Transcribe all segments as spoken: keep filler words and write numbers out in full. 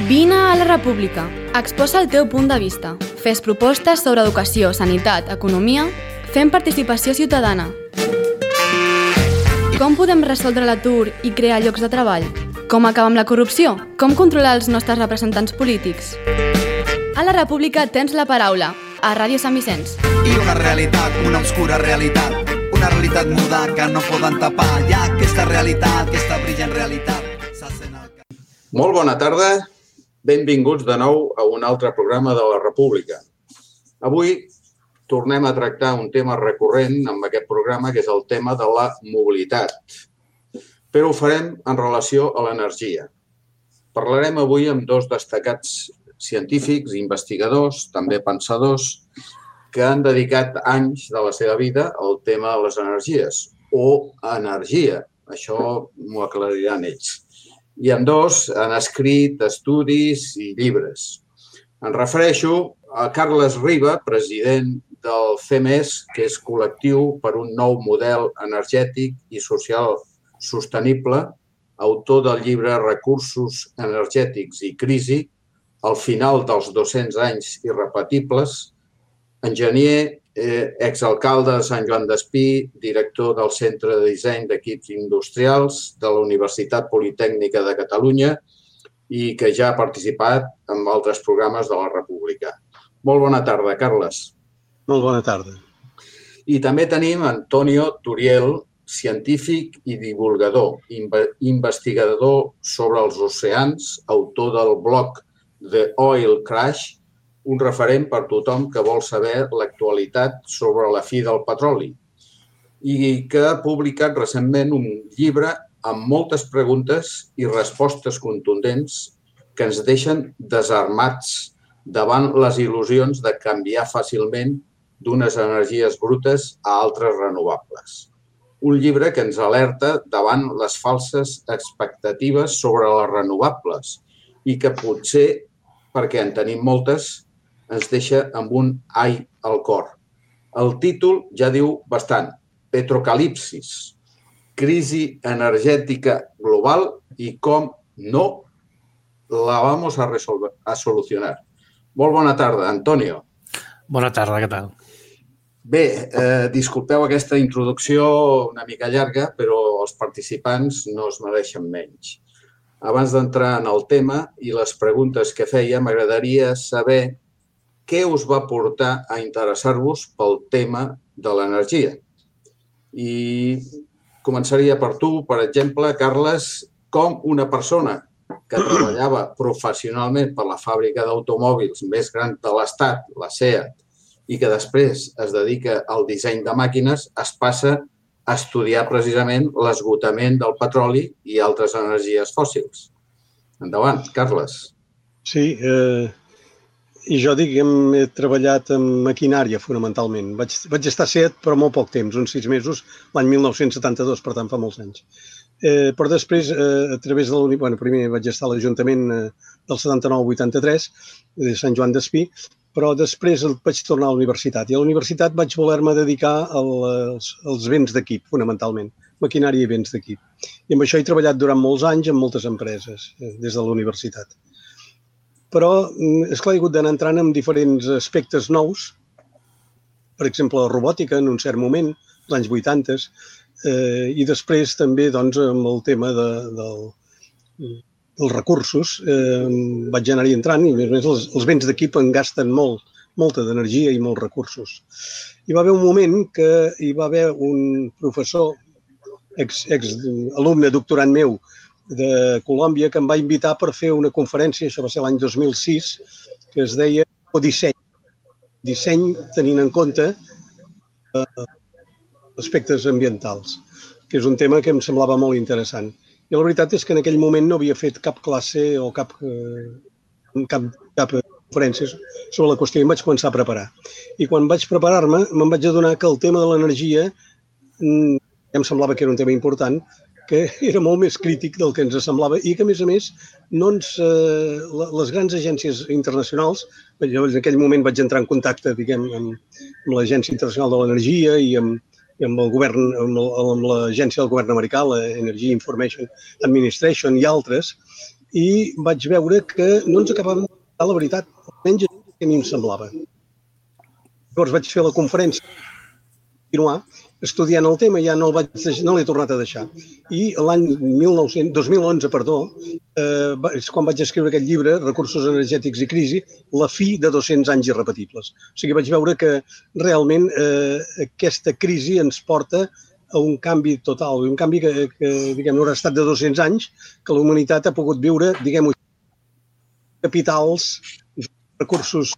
Vine a la República. Exposa el teu punt de vista. Fes propostes sobre educació, sanitat, economia, fem participació ciutadana. Com podem resoldre l'atur i crear llocs de treball? Com acabar amb la corrupció? Com controlar els nostres representants polítics? A la República tens la paraula, a Ràdio Sant Vicenç. I una realitat, una obscura realitat, una realitat muda que no poden tapar. Hi ha aquesta realitat, aquesta brillant realitat. Molt bona tarda, benvinguts de nou a un altre programa de la República. Avui tornem a tractar un tema recurrent amb aquest programa, que és el tema de la mobilitat. Però ho farem en relació a l'energia. Parlarem avui amb dos destacats científics, investigadors, també pensadors, que han dedicat anys de la seva vida al tema de les energies, o energia. Això m'ho aclariran ells. I ambdós han escrit estudis i llibres. Em refereixo a Carles Riba, president del C E M E S, que és Col·lectiu per un nou model energètic i social sostenible, autor del llibre Recursos energètics i crisi, al final dels dos-cents anys irrepetibles, enginyer, eh, exalcalde de Sant Joan d'Espí, director del Centre de Disseny d'Equips Industrials de la Universitat Politècnica de Catalunya i que ja ha participat en altres programes de la República. Molt bona tarda, Carles. Molt bona tarda. I també tenim Antonio Turiel, científic i divulgador, investigador sobre els oceans, autor del blog The Oil Crash, un referent per tothom que vol saber l'actualitat sobre la fi del petroli i que ha publicat recentment un llibre amb moltes preguntes i respostes contundents que ens deixen desarmats davant les il·lusions de canviar fàcilment d'unes energies brutes a altres renovables. Un llibre que ens alerta davant les falses expectatives sobre les renovables i que potser, perquè en tenim moltes, ens deixa amb un ai al cor. El títol ja diu bastant, Petrocalipsis, crisi energètica global i com no la vamos a resolver, a solucionar. Molt bona tarda, Antonio. Bona tarda, què tal? Bé, eh, disculpeu aquesta introducció una mica llarga, però els participants no es mereixen menys. Abans d'entrar en el tema i les preguntes que feia, m'agradaria saber què us va portar a interessar-vos pel tema de l'energia. I començaria per tu, per exemple, Carles, com una persona que treballava professionalment per la fàbrica d'automòbils més gran de l'Estat, la SEAT, i que després es dedica al disseny de màquines, es passa a estudiar precisament l'esgotament del petroli i altres energies fòssils. Endavant, Carles. Sí, eh, i jo dic que he treballat en maquinària fonamentalment. Vaig, vaig estar a SEAT però molt poc temps, uns sis mesos, l'any mil nou-cents setanta-dos, per tant fa molts anys. Eh, però després, eh, a través de la... Bueno, primer vaig estar a l'Ajuntament eh, del setanta-nou al vuitanta-tres, de Sant Joan d'Espí, però després vaig tornar a la universitat. I a la universitat vaig voler-me dedicar als, als béns d'equip, fonamentalment, maquinària i béns d'equip. I amb això he treballat durant molts anys en moltes empreses, eh, des de la universitat. Però, esclar, he hagut d'anar entrant en diferents aspectes nous, per exemple, la robòtica en un cert moment, als anys vuitanta, eh, i després també doncs, amb el tema de, del, dels recursos, eh, vaig anar-hi entrant i, a més, els, els béns d'equip en gasten molt, molta d'energia i molts recursos. Hi va haver un moment que hi va haver un professor, ex, ex alumne doctorant meu, de Colòmbia, que em va invitar per fer una conferència, això va ser l'any dos mil sis, que es deia Disseny. Disseny tenint en compte eh, aspectes ambientals, que és un tema que em semblava molt interessant. I la veritat és que en aquell moment no havia fet cap classe o cap, eh, cap, cap conferència sobre la qüestió i em vaig començar a preparar. I quan vaig preparar-me, me'n vaig adonar que el tema de l'energia mm, em semblava que era un tema important, que era molt més crític del que ens semblava i que, a més a més, no ens, eh, les grans agències internacionals, jo en aquell moment vaig entrar en contacte, diguem, amb, amb l'Agència Internacional de l'Energia i amb, i amb el govern, amb l'agència del govern americà, la Energy Information Administration i altres, i vaig veure que no ens acabàvem de dir la veritat, almenys que a mi em semblava. Llavors vaig fer la conferència, continuar estudiant el tema, ja no el vaig deixar, no l'he tornat a deixar. I l'any dos mil onze, perdó, eh, és quan vaig escriure aquest llibre, Recursos energètics i crisi, la fi de dos-cents anys irrepetibles. O sigui, vaig veure que realment eh, aquesta crisi ens porta a un canvi total, un canvi que, que diguem, haurà estat de dos-cents anys, que la humanitat ha pogut viure, diguem-ho, capitals, recursos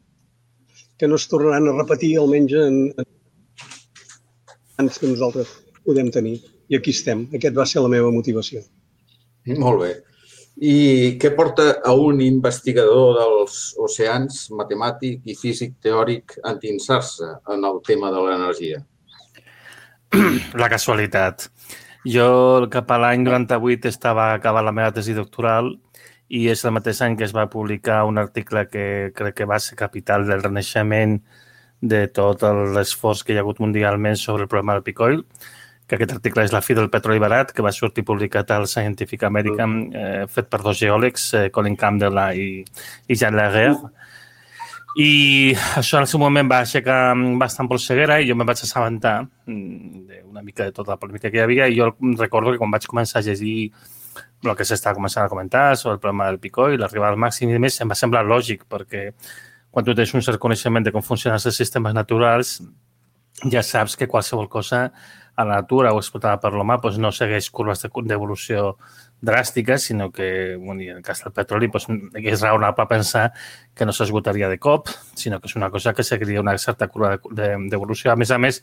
que no es tornaran a repetir, almenys en, en que nosaltres podem tenir. I aquí estem. Aquest va ser la meva motivació. Molt bé. I què porta a un investigador dels oceans, matemàtic i físic teòric, a endinsar-se en el tema de l'energia? La casualitat. Jo cap a l'any noranta-vuit estava acabant la meva tesi doctoral i és el mateix any que es va publicar un article que crec que va ser capital del renaixement de tot l'esforç que hi ha hagut mundialment sobre el problema del peak oil, que aquest article és La fi del petroli barat, que va sortir publicat al Scientific American, eh, fet per dos geòlegs, eh, Colin Campbell i, i Jean Laguerre. I això en el seu moment va aixecar bastant polseguera i jo me'n vaig assabentar una mica de tota la polèmica que hi havia i jo recordo que quan vaig començar a llegir el que s'està començant a comentar sobre el problema del peak oil, l'arribada al màxim i més, em va semblar lògic perquè quan tu tens un cert coneixement de com funcionen els sistemes naturals, ja saps que qualsevol cosa a la natura o explotada per l'home doncs no segueix curves d'evolució dràstiques, sinó que, bueno, en el cas del petroli, doncs, és raonable pensar que no s'esgotaria de cop, sinó que és una cosa que seguiria una certa curva d'evolució. A més a més,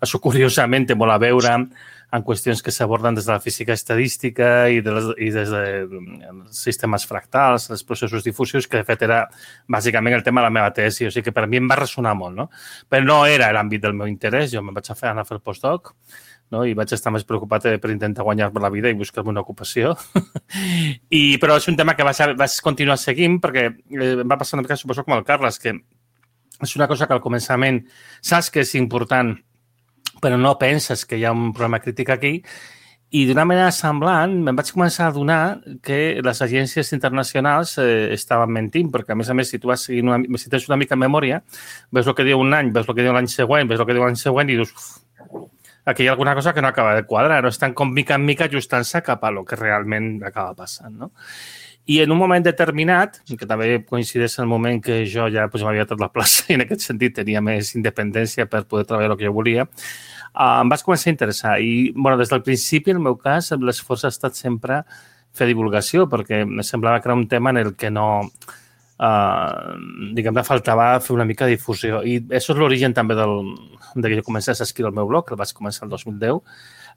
això curiosament té molt a veure en qüestions que s'aborden des de la física estadística i, de les, i des dels sistemes fractals, els processos difusius, que de fet era bàsicament el tema de la meva tesi. O sigui que per mi em va ressonar molt, no? Però no era l'àmbit del meu interès. Jo me'n vaig a fer, anar a fer el postdoc, no? I vaig estar més preocupat per intentar guanyar-me la vida i buscar-me una ocupació. I, però és un tema que vaig, vaig continuar seguint perquè eh, em va passar una mica, suposo, com el Carles, que és una cosa que al començament saps que és important, però no penses que hi ha un problema crític aquí. I d'una manera semblant me'n vaig començar a adonar que les agències internacionals eh, estaven mentint, perquè a més a més, si tu vas seguint una, si tens una mica en memòria, ves el que diu un any, ves el que diu l'any següent, ves el que diu l'any següent i dius, uf, aquí hi ha alguna cosa que no acaba de quadrar, no estan com mica en mica ajustant-se cap a lo que realment acaba passant, no? I en un moment determinat, que també coincideix en el moment que jo ja pues, m'havia tret la plaça i en aquest sentit tenia més independència per poder treballar el que jo volia, uh, em vaig començar a interessar. I bueno, des del principi, en el meu cas, l'esforç ha estat sempre fer divulgació, perquè em semblava que era un tema en el que no... Uh, diguem, me faltava fer una mica de difusió. I això és l'origen també del, de que jo comencés a escriure el meu blog, que el vaig començar el dos mil deu.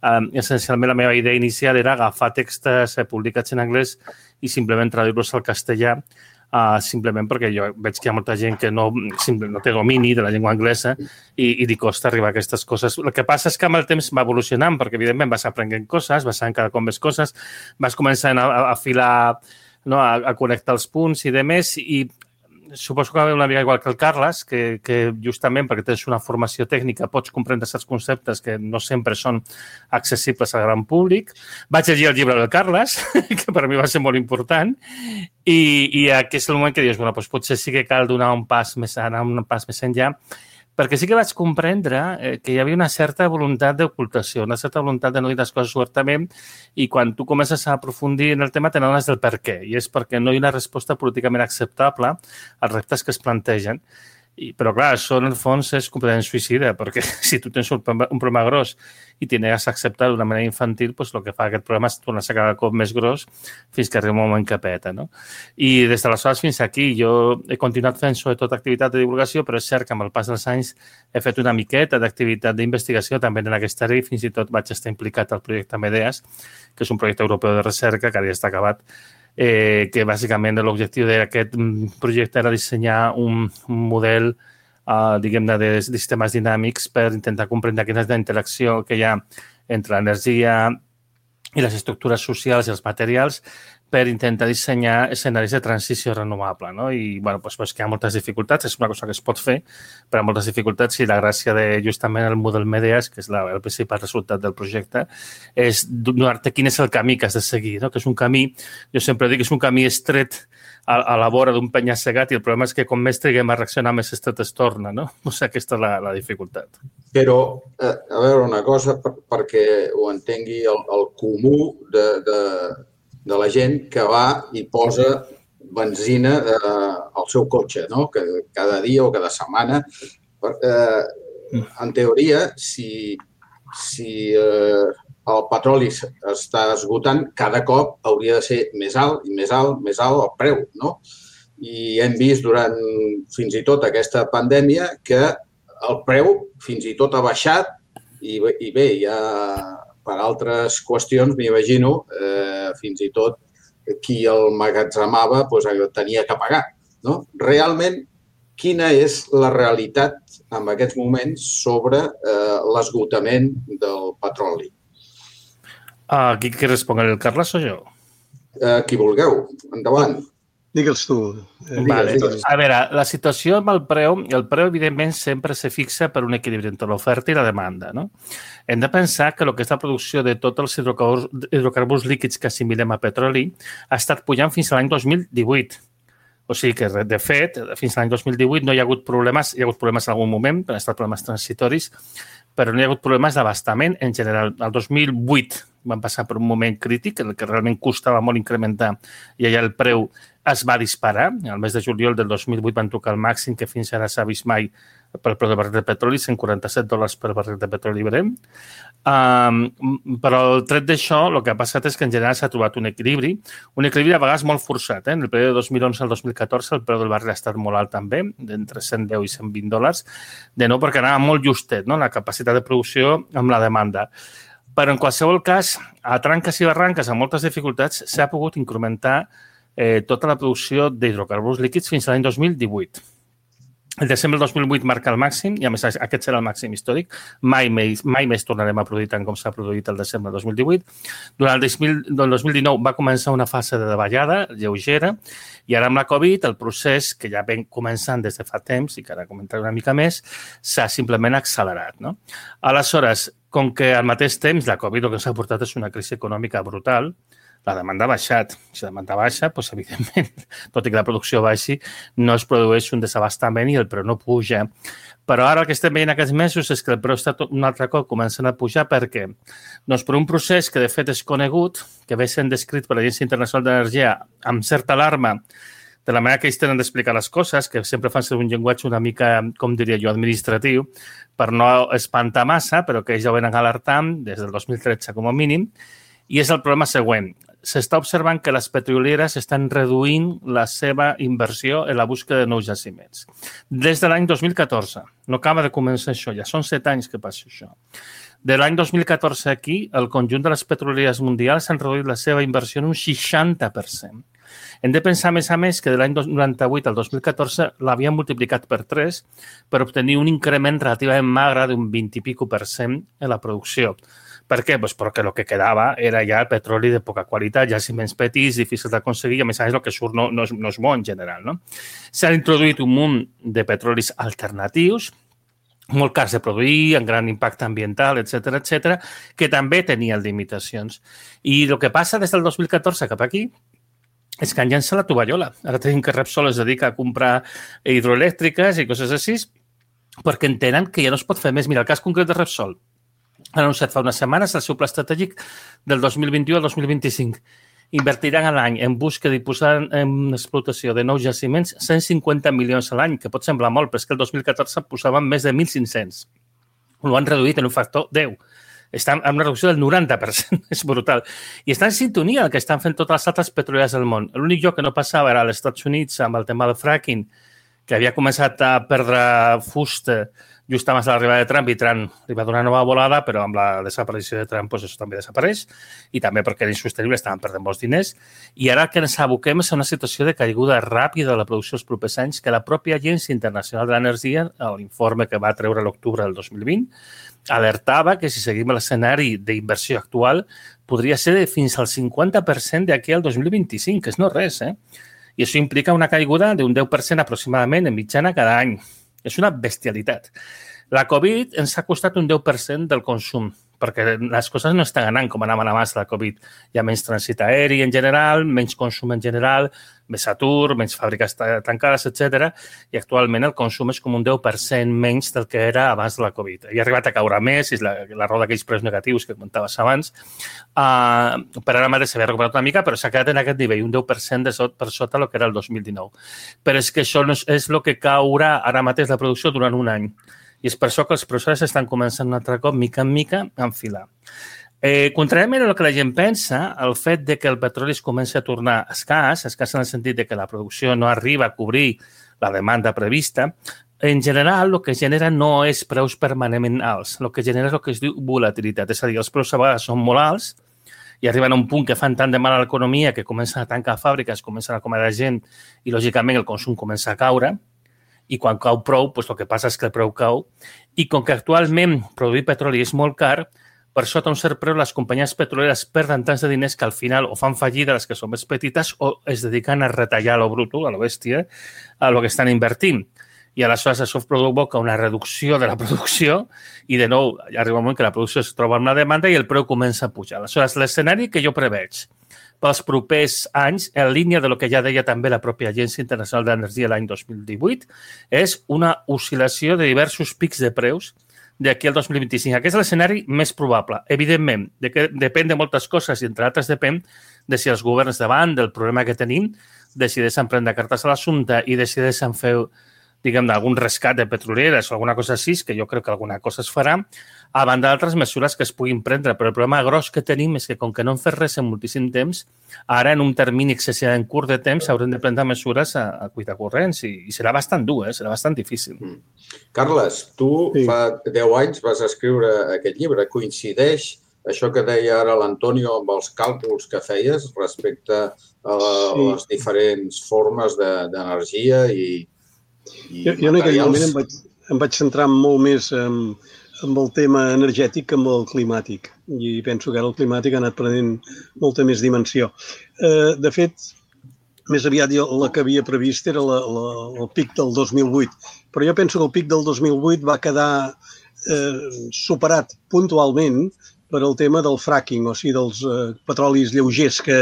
Um, essencialment, la meva idea inicial era agafar textos eh, publicats en anglès i simplement traduir-los al castellà, uh, simplement perquè jo veig que hi ha molta gent que no, no té domini de la llengua anglesa i, i li costa arribar a aquestes coses. El que passa és que amb el temps va evolucionant, perquè evidentment vas aprenent coses, vas sabent cada cop més coses, vas començant a, a afilar, no, a, a connectar els punts i demés, i suposo que va haver una mica igual que el Carles, que, que justament perquè tens una formació tècnica pots comprendre certs conceptes que no sempre són accessibles al gran públic. Vaig llegir el llibre del Carles, que per mi va ser molt important, i, i aquí és el moment que dius, bueno, doncs potser sí que cal donar un pas més, anar un pas més enllà, perquè sí que vaig comprendre que hi havia una certa voluntat d'ocultació, una certa voluntat de no dir les coses obertament, i quan tu comences a aprofundir en el tema te n'adones del per què, i és perquè no hi ha una resposta políticament acceptable als reptes que es plantegen. I, però clar, això en el fons és completament suïcida, perquè si tu tens un, un problema gros i t'hi negues a acceptar d'una manera infantil, doncs el que fa aquest problema és tornar-se cada cop més gros fins que arriba un moment que peta, no? I des d'aleshores fins aquí jo he continuat fent sobretot activitat de divulgació, però és cert que amb el pas dels anys he fet una miqueta d'activitat d'investigació també en aquesta àrea i fins i tot vaig estar implicat al projecte Medeas, que és un projecte europeu de recerca que ara ja està acabat, Eh, que bàsicament l'objectiu d'aquest projecte era dissenyar un, un model uh, diguem-ne de, de sistemes dinàmics per intentar comprendre quina és la interacció que hi ha entre l'energia i les estructures socials i els materials per intentar dissenyar escenaris de transició renovable. No? I bueno, doncs, doncs que hi ha moltes dificultats, és una cosa que es pot fer, però hi ha moltes dificultats i la gràcia de justament el model MEDEAS, que és la, el principal resultat del projecte, és donar-te quin és el camí que has de seguir, no? Que és un camí, jo sempre dic que és un camí estret a, a la vora d'un penya-segat i el problema és que com més triguem a reaccionar, més estret es torna, no? O sigui, aquesta és la, la dificultat. Però, eh, a veure, una cosa, per, perquè ho entengui el, el comú de, de, de la gent que va i posa benzina eh, al seu cotxe, no? Que cada dia o cada setmana. Eh, en teoria, si, si eh, el petroli està esgotant, cada cop hauria de ser més alt i més alt, més alt el preu, no? I hem vist durant fins i tot aquesta pandèmia que el preu fins i tot ha baixat i, i bé, ja per altres qüestions, m'imagino, eh, fins i tot qui el magatzemava doncs, tenia que pagar. No? Realment, quina és la realitat en aquests moments sobre eh, l'esgotament del petroli? Uh, qui, qui respon, el Carles o jo? Uh, qui vulgueu. Endavant. Digue'ls tu. Eh, vale. Digues. A veure, la situació amb el preu, el preu evidentment sempre se fixa per un equilibri entre l'oferta i la demanda. No? Hem de pensar que el que és la producció de tots els hidrocarburs, hidrocarburs líquids que assimilem a petroli ha estat pujant fins a l'any dos mil divuit. O sigui que, de fet, fins a l'any dos mil divuit no hi ha hagut problemes, hi ha hagut problemes en algun moment, han estat problemes transitoris, però no hi ha hagut problemes d'abastament en general. El dos mil vuit van passar per un moment crític en el que realment costava molt incrementar i allà el preu es va disparar. El mes de juliol del dos mil vuit van tocar el màxim que fins ara s'ha vist mai pel preu del barril de petroli, cent quaranta-set dòlars per barril de petroli Brent. Um, però el tret d'això, el que ha passat és que en general s'ha trobat un equilibri, un equilibri a vegades molt forçat. Eh? En el període de dos mil onze al dos mil catorze el preu del barril ha estat molt alt també, d'entre cent deu i cent vint dòlars, de nou perquè anava molt justet, no? La capacitat de producció amb la demanda. Però en qualsevol cas, a tranques i barranques, amb moltes dificultats, s'ha pogut incrementar eh, tota la producció d'hidrocarburs líquids fins a l'any dos mil divuit. El desembre del dos mil vuit marca el màxim i, a més, aquest serà el màxim històric. Mai més, mai més tornarem a produir tant com s'ha produït el desembre del dos mil divuit. Durant el dos mil dinou va començar una fase de davallada lleugera i ara amb la Covid el procés, que ja ven començant des de fa temps i que ara comentaré una mica més, s'ha simplement accelerat. No? Aleshores, com que al mateix temps la Covid el que s'ha portat és una crisi econòmica brutal, la demanda ha baixat. Si la demanda baixa, doncs, evidentment, tot i que la producció baixi, no es produeix un desabastament i el preu no puja. Però ara el que estem veient aquests mesos és que el preu està un altre cop començant a pujar. Per què? Doncs per un procés que de fet és conegut, que ve sent descrit per l'Agència Internacional d'Energia amb certa alarma, de la manera que ells tenen d'explicar les coses, que sempre fan ser un llenguatge una mica, com diria jo, administratiu, per no espantar massa, però que ells ja ho venen alertant des del dos mil tretze com a mínim, i és el problema següent. S'està observant que les petrolieres estan reduint la seva inversió en la búsqueda de nous jaciments. Des de l'any dos mil catorze. No acaba de començar això, ja són set anys que passa això. De l'any dos mil catorze aquí, el conjunt de les petrolieres mundials han reduït la seva inversió en un seixanta per cent. Hem de pensar, a més a més, que de l'any noranta-vuit al dos mil catorze l'havien multiplicat per tres per obtenir un increment relativament magre d'un vint i pico per cent en la producció. Per què? Pues perquè el que quedava era ja petroli de poca qualitat, jaciments petits, difícils d'aconseguir, i a més a més el que surt no, no, és, no és bo en general. No? S'han introduït un munt de petrolis alternatius, molt cars de produir, amb gran impacte ambiental, etcètera, etcètera, que també tenien limitacions. I el que passa des del dos mil catorze cap aquí és que han llançat la tovallola. Ara tenim que Repsol es dedica a comprar hidroelèctriques i coses així, perquè entenen que ja no es pot fer més. Mira, el cas concret de Repsol ha anunciat fa unes setmanes el seu pla estratègic del dos mil vint-i-u al dos mil vint-i-cinc. Invertiran a l'any en búsqueda i posar en explotació de nous jaciments cent cinquanta milions a l'any, que pot semblar molt, però és que el dos mil catorze posaven més de mil cinc-cents. Ho han reduït en un factor deu. Estan amb una reducció del noranta per cent. És brutal. I està en sintonia el que estan fent totes les altres petrolieres del món. L'únic lloc que no passava era als Estats Units amb el tema del fracking, que havia començat a perdre fusta just abans de l'arribada de Trump, i Trump li va donar una nova volada, però amb la desaparició de Trump doncs això també desapareix, i també perquè era insostenible, estaven perdent molts diners. I ara que ens aboquem a una situació de caiguda ràpida de la producció els propers anys, que la pròpia Agència Internacional de l'Energia, l'informe que va treure l'octubre del dos mil vint, alertava que si seguim l'escenari d'inversió actual podria ser de fins al cinquanta per cent d'aquí al dos mil vint-i-cinc, que és no res, eh? I això implica una caiguda d'un deu per cent aproximadament en mitjana cada any. És una bestialitat. La Covid ens ha costat un deu per cent del consum, perquè les coses no estan anant com anaven abans de la Covid. Hi ha menys trànsit aeri en general, menys consum en general, més atur, menys fàbriques tancades, etcètera. I actualment el consum és com un deu per cent menys del que era abans de la Covid. I ha arribat a caure més, és la, la raó d'aquells preus negatius que comentaves abans. Uh, per ara mateix s'havia recuperat una mica, però s'ha quedat en aquest nivell, un deu per cent de sot, per sota del que era el dos mil dinou. Però és que això no és, és el que caurà ara mateix la producció durant un any. I és per això que els processos estan començant un altre cop, mica en mica, a enfilar. Eh, contràriament a el que la gent pensa, el fet de que el petroli es comenci a tornar escàs, escàs en el sentit de que la producció no arriba a cobrir la demanda prevista, en general el que genera no és preus permanentment alts, el que genera és el que es diu volatilitat. És a dir, els preus a vegades són molt alts i arriben a un punt que fan tant de mal a l'economia que comencen a tancar fàbriques, comencen a acomiadar gent i, lògicament, el consum comença a caure. I quan cau prou, doncs el que passa és que el preu cau. I com que actualment produir petroli és molt car, per sota un cert preu les companyies petroleres perden tants de diners que al final o fan fallida les que són més petites o es dediquen a retallar a lo bruto, a lo bèstia, a lo que estan invertint. I aleshores això provoca una reducció de la producció i de nou arriba un moment que la producció es troba amb la demanda i el preu comença a pujar. Aleshores, l'escenari que jo preveig pels propers anys, en línia de lo que ja deia també la pròpia Agència Internacional d'Energia l'any dos mil divuit, és una oscil·lació de diversos pics de preus d'aquí al dos mil vint-i-cinc. Aquest és l'escenari més probable. Evidentment, de que depèn de moltes coses i, entre altres, depèn de si els governs davant del problema que tenim decideixen prendre cartes a l'assumpte i decideixen fer, diguem, algun rescat de petrolieres o alguna cosa així, que jo crec que alguna cosa es farà, a banda d'altres mesures que es puguin prendre. Però el problema gros que tenim és que, com que no hem fet res en moltíssim temps, ara, en un termini excessivament curt de temps, haurem de prendre mesures a, a cuita corrents i, i serà bastant dur, eh? Serà bastant difícil. Mm. Carles, tu sí. fa deu anys vas escriure aquest llibre. Coincideix això que deia ara l'Antonio amb els càlculs que feies respecte a sí. les diferents formes d'energia de, i, i jo, jo en aquell moment em vaig, em vaig centrar molt més en, en el tema energètic que amb el climàtic. I penso que ara el climàtic ha anat prenent molta més dimensió. Eh, de fet, més aviat la que havia previst era la, la, el pic del dos mil vuit. Però jo penso que el pic del dos mil vuit va quedar eh, superat puntualment per el tema del fracking, o sigui, dels eh, petrolis lleugers que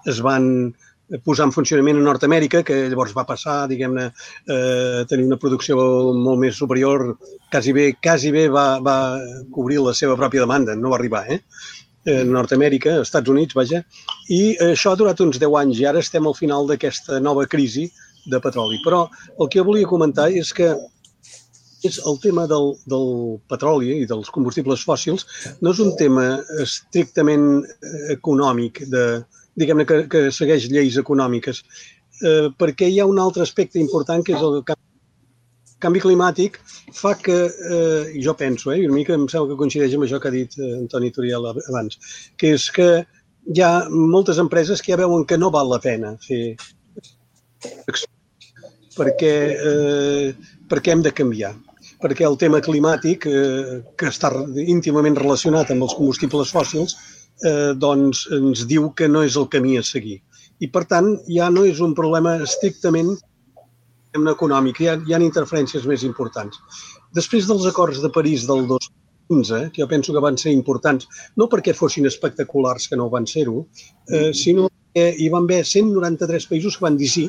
es van posar en funcionament a Nord-Amèrica, que llavors va passar, diguem-ne, a tenir una producció molt més superior, quasi bé, quasi bé va, va cobrir la seva pròpia demanda, no va arribar, eh? A Nord-Amèrica, als Estats Units, vaja, i això ha durat uns deu anys i ara estem al final d'aquesta nova crisi de petroli. Però el que jo volia comentar és que és el tema del, del petroli i dels combustibles fòssils no és un tema estrictament econòmic, de, diguem-ne que, que segueix lleis econòmiques, eh, perquè hi ha un altre aspecte important que és el canvi, canvi climàtic fa que, eh, i jo penso, eh, i una mica em sembla que coincideix amb això que ha dit Antoni Turiel abans, que és que hi ha moltes empreses que ja veuen que no val la pena fer perquè, eh, perquè hem de canviar. Perquè el tema climàtic, eh, que està íntimament relacionat amb els combustibles fòssils, eh, doncs ens diu que no és el camí a seguir. I, per tant, ja no és un problema estrictament econòmic, hi ha, hi ha interferències més importants. Després dels acords de París del dos mil quinze, que jo penso que van ser importants, no perquè fossin espectaculars, que no van ser-ho, eh, sinó que hi van haver cent noranta-tres països que van dir sí,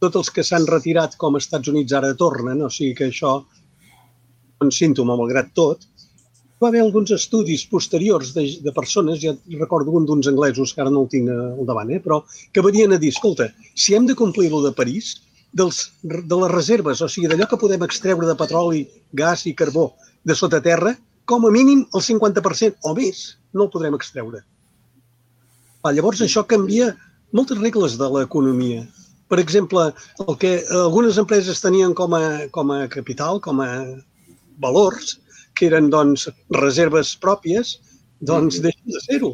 tots els que s'han retirat com als Estats Units ara tornen, o sigui que això un símptoma, malgrat tot. Va haver alguns estudis posteriors de, de persones, ja recordo un d'uns anglesos, que ara no el tinc al davant, eh, però que venien a dir, escolta, si hem de complir-lo de París, dels, de les reserves, o sigui, d'allò que podem extreure de petroli, gas i carbó de sota terra, com a mínim el cinquanta per cent o més no el podrem extreure. Ah, llavors això canvia moltes regles de l'economia. Per exemple, el que algunes empreses tenien com a, com a capital, com a valors, que eren doncs, reserves pròpies, doncs deixen de ser-ho.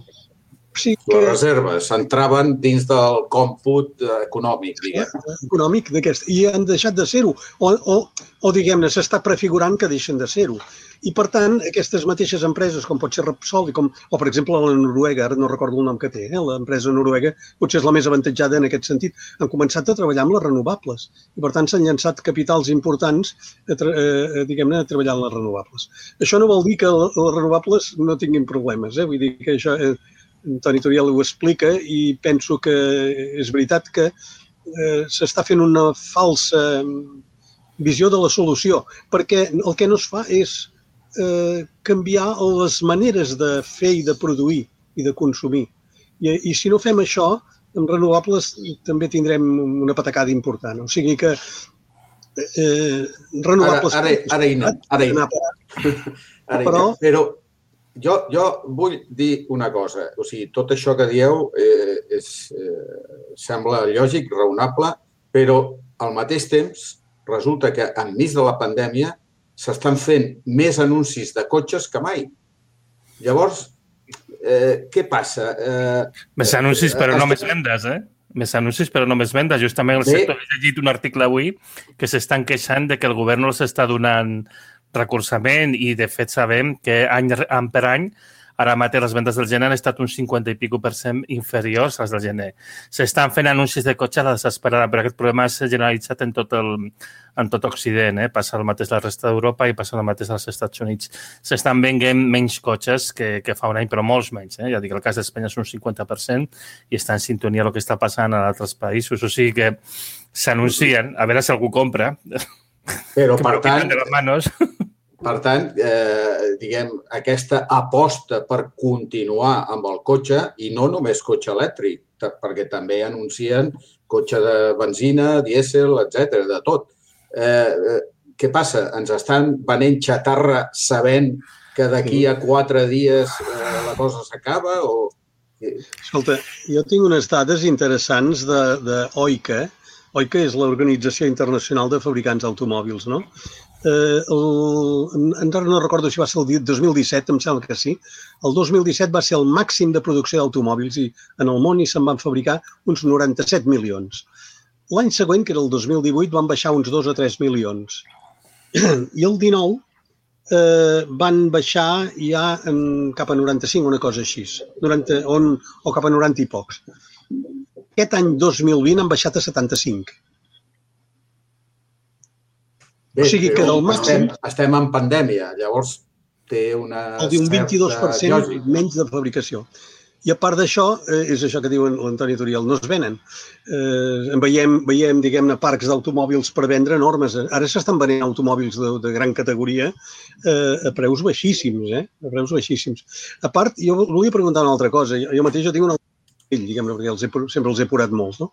Sí que... Les reserves s'entraven dins del còmput econòmic, diguem. Econòmic d'aquest, i han deixat de ser-ho, o, o, o diguem-ne, s'està prefigurant que deixen de ser-ho. I, per tant, aquestes mateixes empreses, com pot ser Repsol, com, o, per exemple, la Noruega, ara no recordo el nom que té, eh? L'empresa noruega potser és la més avantatjada en aquest sentit, han començat a treballar amb les renovables. I, per tant, s'han llançat capitals importants a, eh, diguem-ne, a treballar en les renovables. Això no vol dir que les renovables no tinguin problemes, eh? Vull dir que això... Eh, Toni Turiel ho explica i penso que és veritat que eh, s'està fent una falsa visió de la solució, perquè el que no es fa és eh, canviar les maneres de fer i de produir i de consumir. I, i si no fem això, amb renovables també tindrem una patacada important. O sigui que eh, renovables... Ara, ara, ara hi anem, ara hi anem. Però... Però Jo, jo vull dir una cosa, o sigui, tot això que dieu eh, és, eh, sembla lògic, raonable, però al mateix temps resulta que enmig de la pandèmia s'estan fent més anuncis de cotxes que mai. Llavors, eh, què passa? Eh, més anuncis però no més vendes, eh? Més anuncis però no més vendes. Justament el sector ha llegit un article avui que s'estan queixant de que el govern no els està donant recolzament i, de fet, sabem que any, any per any ara mateix les vendes del gener han estat un cinquanta i pico per cent inferiors a les del gener. S'estan fent anuncis de cotxe a la desesperada, però aquest problema s'ha generalitzat en tot, el, en tot Occident. Eh? Passa el mateix a la resta d'Europa i passa el mateix als Estats Units. S'estan venent menys cotxes que, que fa un any, però molts menys. Eh? Ja dic, el cas d'Espanya és un cinquanta per cent i està en sintonia amb el que està passant a altres països. O sigui que s'anuncien, a veure si algú compra. Però, per tant, de les manos. per tant eh, diguem, aquesta aposta per continuar amb el cotxe, i no només cotxe elèctric, perquè també anuncien cotxe de benzina, dièsel, etcètera, de tot. Eh, què passa? Ens estan venent xatarra sabent que d'aquí a quatre dies eh, la cosa s'acaba? O... Escolta, jo tinc unes dades interessants de, de O I C A. O I C A és l'Organització Internacional de Fabricants d'Automòbils, no? Eh, el, encara no recordo si va ser el dos mil disset, em sembla que sí. El dos mil disset va ser el màxim de producció d'automòbils i en el món hi se'n van fabricar uns noranta-set milions. L'any següent, que era el dos mil divuit, van baixar uns dos o tres milions. I el dinou eh, van baixar ja en, cap a noranta-cinc, una cosa així, noranta, on, o cap a noranta i pocs. Aquest any dos mil vint han baixat a setanta-cinc. Bé, o sigui que del màxim... Estem, estem en pandèmia, llavors té una... Un vint-i-dos per cent menys de fabricació. I a part d'això, eh, és això que diu l'Antoni Turiel, no es venen. Eh, veiem, veiem diguem-ne, parcs d'automòbils per vendre enormes. Ara s'estan venent automòbils de, de gran categoria eh, a preus baixíssims, eh? A preus baixíssims. A part, jo volia preguntar una altra cosa. Jo, jo mateix jo tinc una fill, diguem-ne, perquè els he, sempre els he apurat molt, no?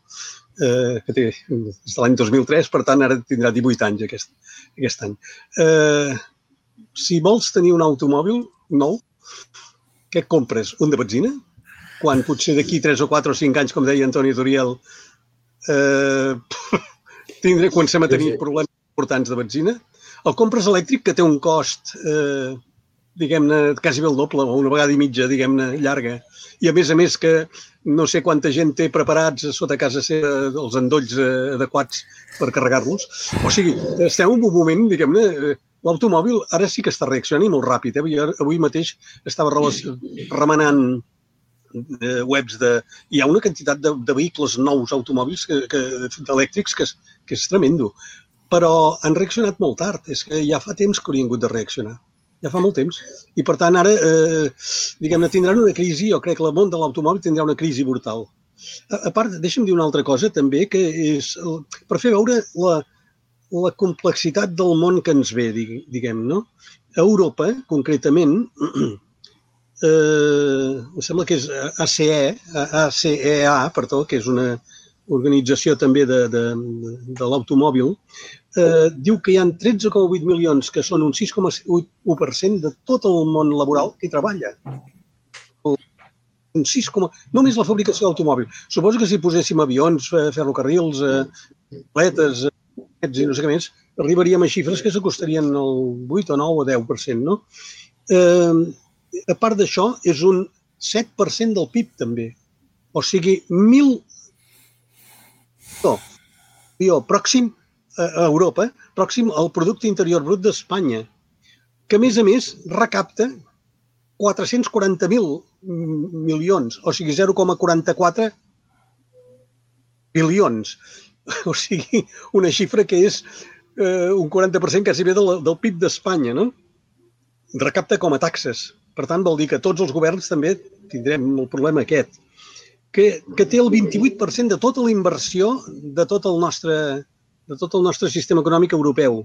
Eh, que té des de l'any dos mil tres, per tant, ara tindrà divuit anys aquest, aquest any. Eh, si vols tenir un automòbil nou, què et compres? Un de benzina? Quan potser d'aquí tres o quatre o cinc anys, com deia Antoni Turiel, eh, tindré, comencem a tenir problemes importants de benzina. El compres elèctric, que té un cost, eh, diguem-ne, quasi bé el doble, o una vegada i mitja, diguem-ne, llarga. I a més a més que no sé quanta gent té preparats sota casa seva els endolls adequats per carregar-los. O sigui, estem en un moment, diguem-ne, l'automòbil ara sí que està reaccionant i molt ràpid. Eh? Avui mateix estava remenant eh, webs de... Hi ha una quantitat de, de vehicles nous automòbils que, que, elèctrics que és, que és tremendo. Però han reaccionat molt tard. És que ja fa temps que haurien hagut de reaccionar. Ja fa molt temps. I, per tant, ara, eh, diguem-ne, tindran una crisi, jo crec que el món de l'automòbil tindrà una crisi brutal. A, a part, deixa'm dir una altra cosa, també, que és per fer veure la, la complexitat del món que ens ve, diguem, no? A Europa, concretament, eh, em sembla que és A C E, A C E A, perdó, que és una organització també de, de, de l'automòbil, eh, diu que hi ha tretze coma vuit milions, que són un sis coma u per cent de tot el món laboral que hi treballa. Un sis, només la fabricació d'automòbil. Suposo que si poséssim avions, ferrocarrils, atletes, i no sé què més, arribaríem a xifres que s'acostarien al vuit o nou o deu per cent, no? Eh, a part d'això, és un set per cent del P I B també. O sigui, mil... No, jo, pròxim a Europa, pròxim al producte interior brut d'Espanya, que a més a més recapta quatre-cents quaranta mil milions, o sigui, zero coma quaranta-quatre bilions. O sigui, una xifra que és eh, un quaranta per cent quasi bé del, del P I B d'Espanya, no? Recapta com a taxes. Per tant, vol dir que tots els governs també tindrem el problema aquest, que, que té el vint-i-vuit per cent de tota la inversió de tot el nostre, de tot el nostre sistema econòmic europeu.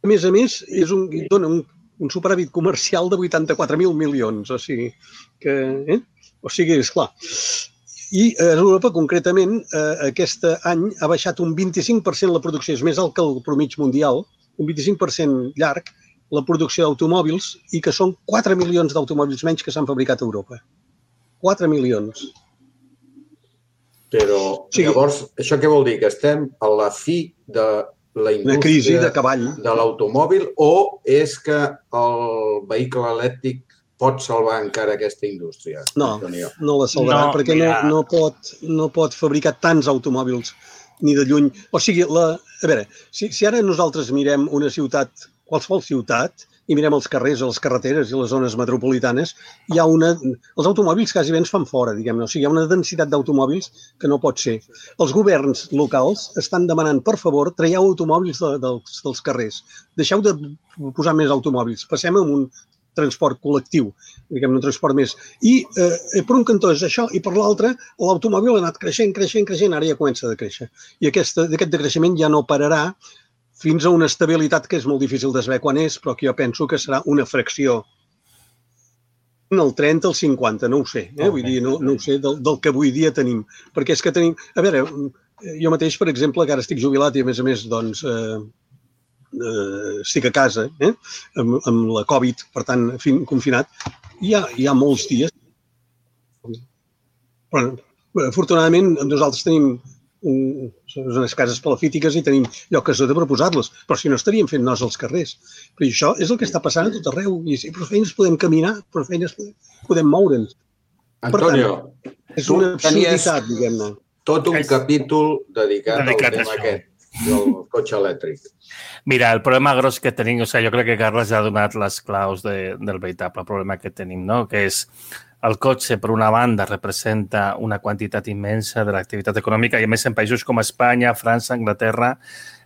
A més a més, és un, dona un, un superàvit comercial de vuitanta-quatre mil milions. O sigui, que, eh? o sigui, esclar. I a Europa, concretament, eh, aquest any ha baixat un vint-i-cinc per cent la producció, és més alt que el promig mundial, un vint-i-cinc per cent llarg, la producció d'automòbils, i que són quatre milions d'automòbils menys que s'han fabricat a Europa. quatre milions. Però, sí. Llavors, això què vol dir? Que estem a la fi de la indústria crisi de cavall de l'automòbil, o és que el vehicle elèctric pot salvar encara aquesta indústria? No, no la salvarà, no, perquè no, no, pot, no pot fabricar tants automòbils ni de lluny. O sigui, la, a veure, si, si ara nosaltres mirem una ciutat, qualsevol ciutat, i mirem els carrers, les carreteres i les zones metropolitanes, hi ha una... Els automòbils quasi bé ens fan fora, diguem-ne. O sigui, hi ha una densitat d'automòbils que no pot ser. Els governs locals estan demanant, per favor, traieu automòbils de, dels, dels carrers. Deixeu de posar més automòbils. Passem a un transport col·lectiu, diguem-ne, un transport més. I eh, per un cantó és això, i per l'altre, l'automòbil ha anat creixent, creixent, creixent, ara ja comença a decréixer. I aquest, aquest decreixement ja no pararà fins a una estabilitat que és molt difícil de saber quan és, però que jo penso que serà una fracció en el trenta, el cinquanta, no ho sé, eh? Vull dir, no, no ho sé del, del que avui dia tenim. Perquè és que tenim... A veure, jo mateix, per exemple, que ara estic jubilat i a més a més, doncs, eh, eh, estic a casa, eh? amb, amb la Covid, per tant, fin, confinat, hi ha, hi ha molts dies. Però, afortunadament, nosaltres tenim Un, unes cases palafítiques i tenim lloc a sota per posar-les, però si no estaríem fent nos als carrers. Però això és el que està passant a tot arreu. I sí, per feines podem caminar, per feines podem, podem moure'ns. Antonio, per tant, és una absurditat, diguem-ne. Tot un capítol dedicat, dedicat al tema aquest, del cotxe elèctric. Mira, el problema gros que tenim, o sigui, jo crec que Carles ha donat les claus de, del veritable problema que tenim, no? Que és el cotxe, per una banda, representa una quantitat immensa de l'activitat econòmica i, a més, en països com Espanya, França, Anglaterra,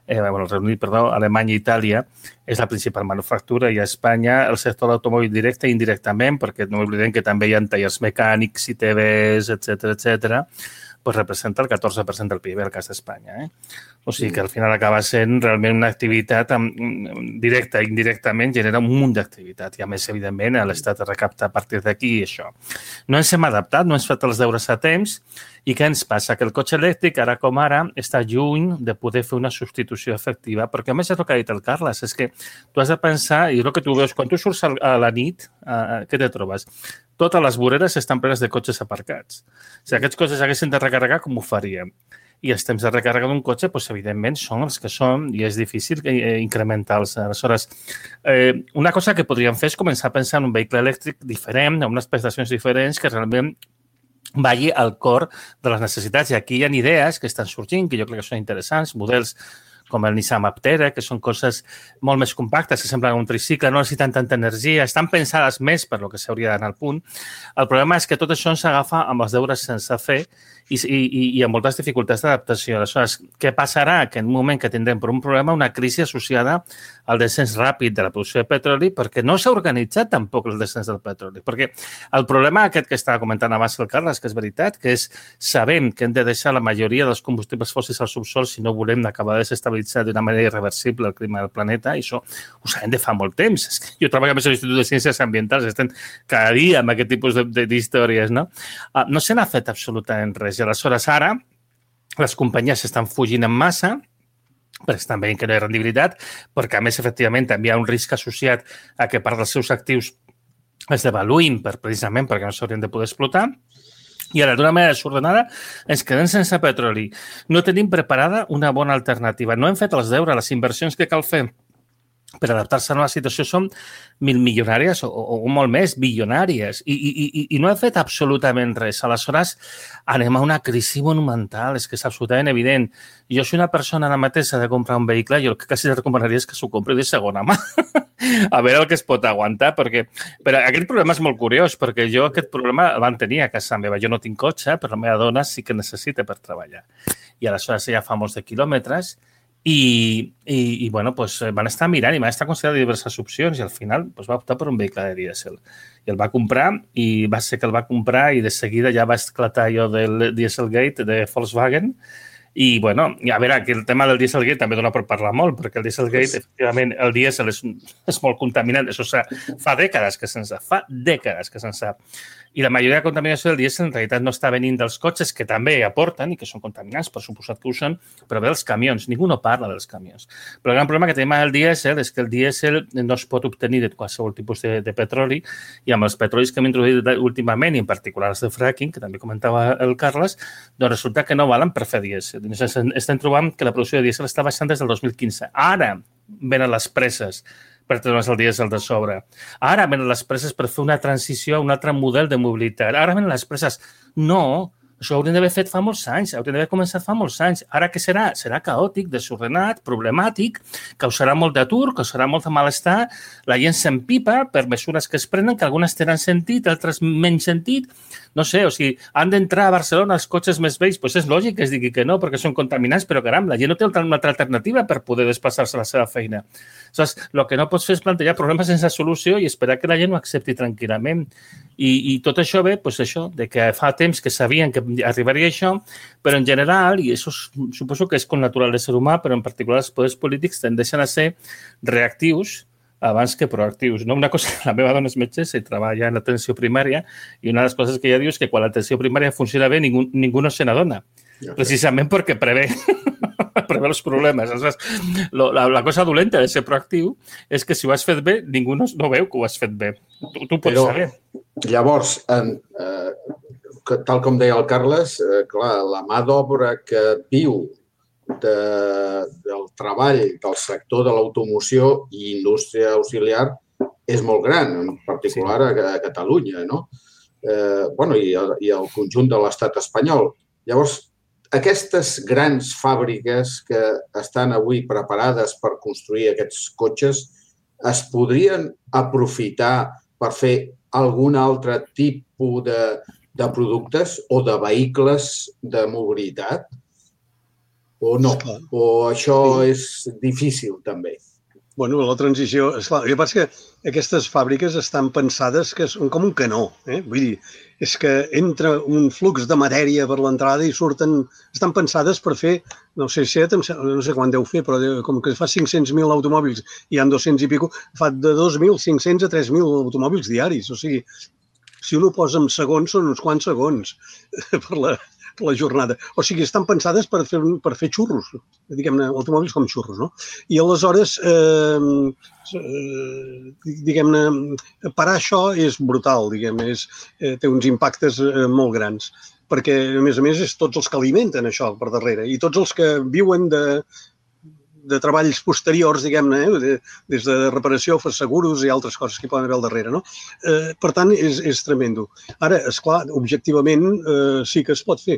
eh, bueno, el Regne Unit, perdó, Alemanya i Itàlia, és la principal manufactura, i a Espanya el sector d'automòbil directe i indirectament, perquè no oblidem que també hi ha tallers mecànics, I T Vs, etcètera, etcètera, pues representa el catorze per cent del P I B al cas d'Espanya. Eh? O sigui que al final acaba sent realment una activitat directa i indirectament genera un munt d'activitat i a més, evidentment, l'Estat recapta a partir d'aquí i això. No ens hem adaptat, no ens hem fet els deures a temps i què ens passa? Que el cotxe elèctric, ara com ara, està lluny de poder fer una substitució efectiva perquè, a més, és el que ha dit el Carles, és que tu has de pensar, i és el que tu veus, quan tu surts a la nit, eh, què te trobes? Totes les voreres estan plenes de cotxes aparcats. Si aquests cotxes haguessin de recarregar, com ho faríem? I els temps de recàrrega d'un cotxe, doncs, evidentment, són els que són i és difícil incrementar-los. Aleshores, eh, una cosa que podríem fer és començar a pensar en un vehicle elèctric diferent, amb unes prestacions diferents que realment vagi al cor de les necessitats. I aquí hi ha idees que estan sorgint, que jo crec que són interessants, models com el Nissan Aptera, que són coses molt més compactes, que semblen un tricicle, no necessiten tanta energia, estan pensades més per lo que s'hauria d'anar al punt. El problema és que tot això s'agafa amb els deures sense fer i, i, i amb moltes dificultats d'adaptació. Aleshores, què passarà? Que en un moment que tindrem per un problema una crisi associada al descens ràpid de la producció de petroli perquè no s'ha organitzat tampoc el descens del petroli. Perquè el problema aquest que estava comentant abans el Carles, que és veritat, que és sabem que hem de deixar la majoria dels combustibles fòssils al subsol si no volem acabar de desestabilitzar d'una manera irreversible el clima del planeta, i això ho sabem de fa molt temps. És que jo treballo a l'Institut de Ciències Ambientals, estem cada dia amb aquest tipus d'històries, no? No se n'ha fet absolutament res. I aleshores ara les companyies s'estan fugint en massa perquè estan veient que no hi ha rendibilitat, perquè a més, efectivament, també hi ha un risc associat a que part dels seus actius es devaluïn per, precisament perquè no s'haurien de poder explotar. I ara, d'una manera desordenada, ens quedem sense petroli. No tenim preparada una bona alternativa. No hem fet els deures, les inversions que cal fer per adaptar-se a una situació són mil milionàries o, o molt més, bilionàries, i, i, i, i no ha fet absolutament res. Aleshores, anem a una crisi monumental, és que és absolutament evident. Jo soy una persona ara mateix de comprar un vehicle, jo el que quasi recomanaria és que s'ho compri de segona mà, a veure el que es pot aguantar, perquè però aquest problema és molt curiós, perquè jo aquest problema el van tenir a casa meva. Jo no tinc cotxe, però la meva dona sí que necessita per treballar. I aleshores ella fa molts de quilòmetres, I, i, i bueno, pues, van estar mirant i van estar considerant diverses opcions i al final pues, va optar per un vehicle de dièsel. I el va comprar i va ser que el va comprar i de seguida ja va esclatar allò del Dieselgate de Volkswagen. I, bueno, a veure, aquí el tema del Dieselgate també dona per parlar molt, perquè el Dieselgate, efectivament, el dièsel és, és molt contaminant. Això fa dècades que se'n sap, fa dècades que se'n sap. I la majoria de contaminació del dièsel en realitat no està venint dels cotxes, que també aporten i que són contaminants, per suposat que ho són, però ve dels camions. Ningú no parla dels camions. Però el gran problema que tenim amb el dièsel és que el dièsel no es pot obtenir de qualsevol tipus de, de petroli i amb els petrolis que hem introduït últimament, i en particular els de fracking, que també comentava el Carles, doncs resulta que no valen per fer dièsel. Estem trobant que la producció de dièsel està baixant des del dos mil quinze. Ara venen les presses per treure's el dièsel de sobre. Ara venen les presses per fer una transició a un altre model de mobilitat. Ara venen les presses. No, això ho haurien d'haver fet fa molts anys, haurien d'haver començat fa molts anys. Ara què serà? Serà caòtic, desordenat, problemàtic, causarà molt d'atur, causarà molt de malestar, la gent s'empipa per mesures que es prenen, que algunes tenen sentit, altres menys sentit. No sé, o sigui, han d'entrar a Barcelona els cotxes més vells, doncs és lògic que es digui que no, perquè són contaminants, però caram, la gent no té una altra alternativa per poder desplaçar-se a la seva feina. Aleshores, el que no pots fer és plantejar problemes sense solució i esperar que la gent ho accepti tranquil·lament. I, i tot això ve, doncs això, de que fa temps que sabien que arribaria això, però en general, i això suposo que és com natural de ser humà, però en particular els poders polítics tendeixen a ser reactius abans que proactius. No? Una cosa, la meva dona és metgessa i treballa en l'atenció primària i una de les coses que ella diu és que quan l'atenció primària funciona bé ningú, ningú no se n'adona, precisament perquè prevé, prevé els problemes. Aleshores, lo, la, la cosa dolenta de ser proactiu és que si ho has fet bé, ningú no, no veu que ho has fet bé. Tu, tu pots Però, saber. Llavors, en, eh, tal com deia el Carles, eh, clar, la mà d'obra que viu De, del treball del sector de l'automoció i indústria auxiliar és molt gran, en particular a, a Catalunya, no? Eh, bueno, i, i el conjunt de l'estat espanyol. Llavors, aquestes grans fàbriques que estan avui preparades per construir aquests cotxes es podrien aprofitar per fer algun altre tipus de, de productes o de vehicles de mobilitat? O no? O això és difícil, també? Bueno, la transició... Esclar, el que passa és que aquestes fàbriques estan pensades que són com un canó. Eh? Vull dir, és que entra un flux de matèria per l'entrada i surten... Estan pensades per fer, no sé si no sé quan deu fer, però com que fa cinc-cents mil automòbils i hi ha dos-cents i pico, fa de dos mil cinc-cents a tres mil automòbils diaris. O sigui, si un ho posa en segons, són uns quants segons per la... la jornada. O sigui, estan pensades per fer, per fer xurros, diguem-ne, automòbils com xurros, no? I aleshores, eh, diguem-ne, parar això és brutal, diguem-ne, eh, té uns impactes eh, molt grans, perquè, a més a més, és tots els que alimenten això per darrere i tots els que viuen de, de treballs posteriors, diguem-ne, eh, des de reparació, seguros i altres coses que hi poden haver al darrere, no? Eh, per tant, és, és tremendo. Ara, esclar, objectivament eh, sí que es pot fer,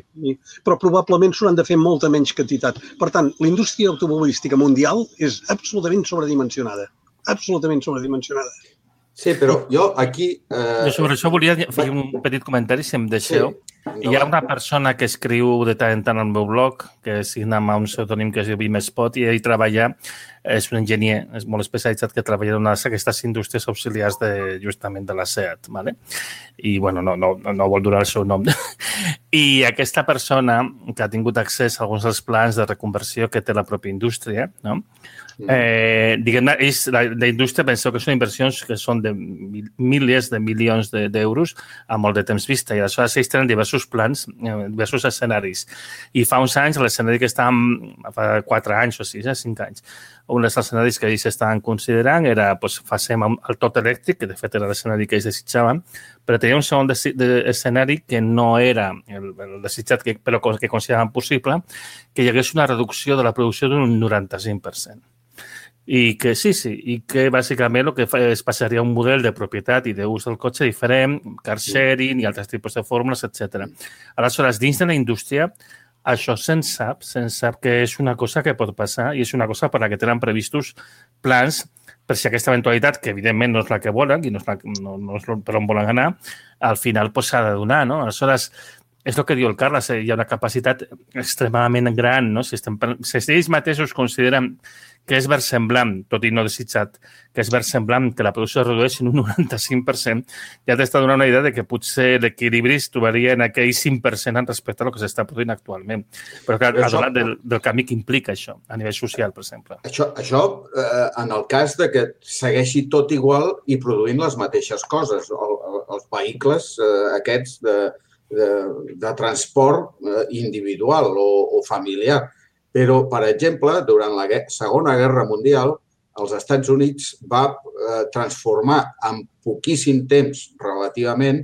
però probablement s'hauran de fer molta menys quantitat. Per tant, la indústria automobilística mundial és absolutament sobredimensionada. Absolutament sobredimensionada. Sí, però jo aquí... Eh... Jo sobre això volia fer un petit comentari, si em deixeu. Sí. Hi ha una persona que escriu de tant en tant al meu blog, que signa amb un pseudònim que es diu Vimespot, i ell treballa, és un enginyer, és molt especialitzat, que treballa en una d'aquestes indústries auxiliars de, justament de la SEAT, ¿vale? I, bueno, no, no, no vol durar el seu nom. I aquesta persona que ha tingut accés a alguns dels plans de reconversió que té la pròpia indústria, no? Eh, diguem-ne, la, la indústria penseu que són inversions que són de mil, milers de milions d'euros de, a molt de temps vista i aleshores ells tenen diversos plans, diversos escenaris. I fa uns anys l'escenari que estàvem, fa quatre anys o sis, eh, cinc anys, un dels escenaris que ells estaven considerant era, doncs, facem el tot elèctric, que de fet era l'escenari que ells desitjaven, però tenia un segon escenari que no era el, el desitjat, que, però que consideraven possible, que hi hagués una reducció de la producció d'un noranta-cinc per cent. I que sí, sí, i que bàsicament el que fa és passaria un model de propietat i d'ús del cotxe diferent, car sharing i altres tipus de fórmules, etcètera. Aleshores, dins de la indústria, això se'n sap, se'n sap que és una cosa que pot passar i és una cosa per la que tenen previstos plans per si aquesta eventualitat, que evidentment no és la que volen i no és, la, no, no és per on volen anar, al final pues, s'ha de donar, no? Aleshores, és el que diu el Carles, hi ha una capacitat extremadament gran, no? Si, estem, si ells mateixos consideren que és versemblant, tot i no desitjat, que és versemblant que la producció es redueixi en un noranta-cinc per cent, ja t'està donant una idea de que potser l'equilibri es trobaria en aquell cinc per cent respecte al que s'està produint actualment. Però clar, ha donat del, del camí que implica això, a nivell social, per exemple. Això, això eh, en el cas de que segueixi tot igual i produint les mateixes coses, el, el, els vehicles eh, aquests de, de, de transport eh, individual o, o familiar. Però, per exemple, durant la Segona Guerra Mundial, els Estats Units va eh, transformar en poquíssim temps, relativament,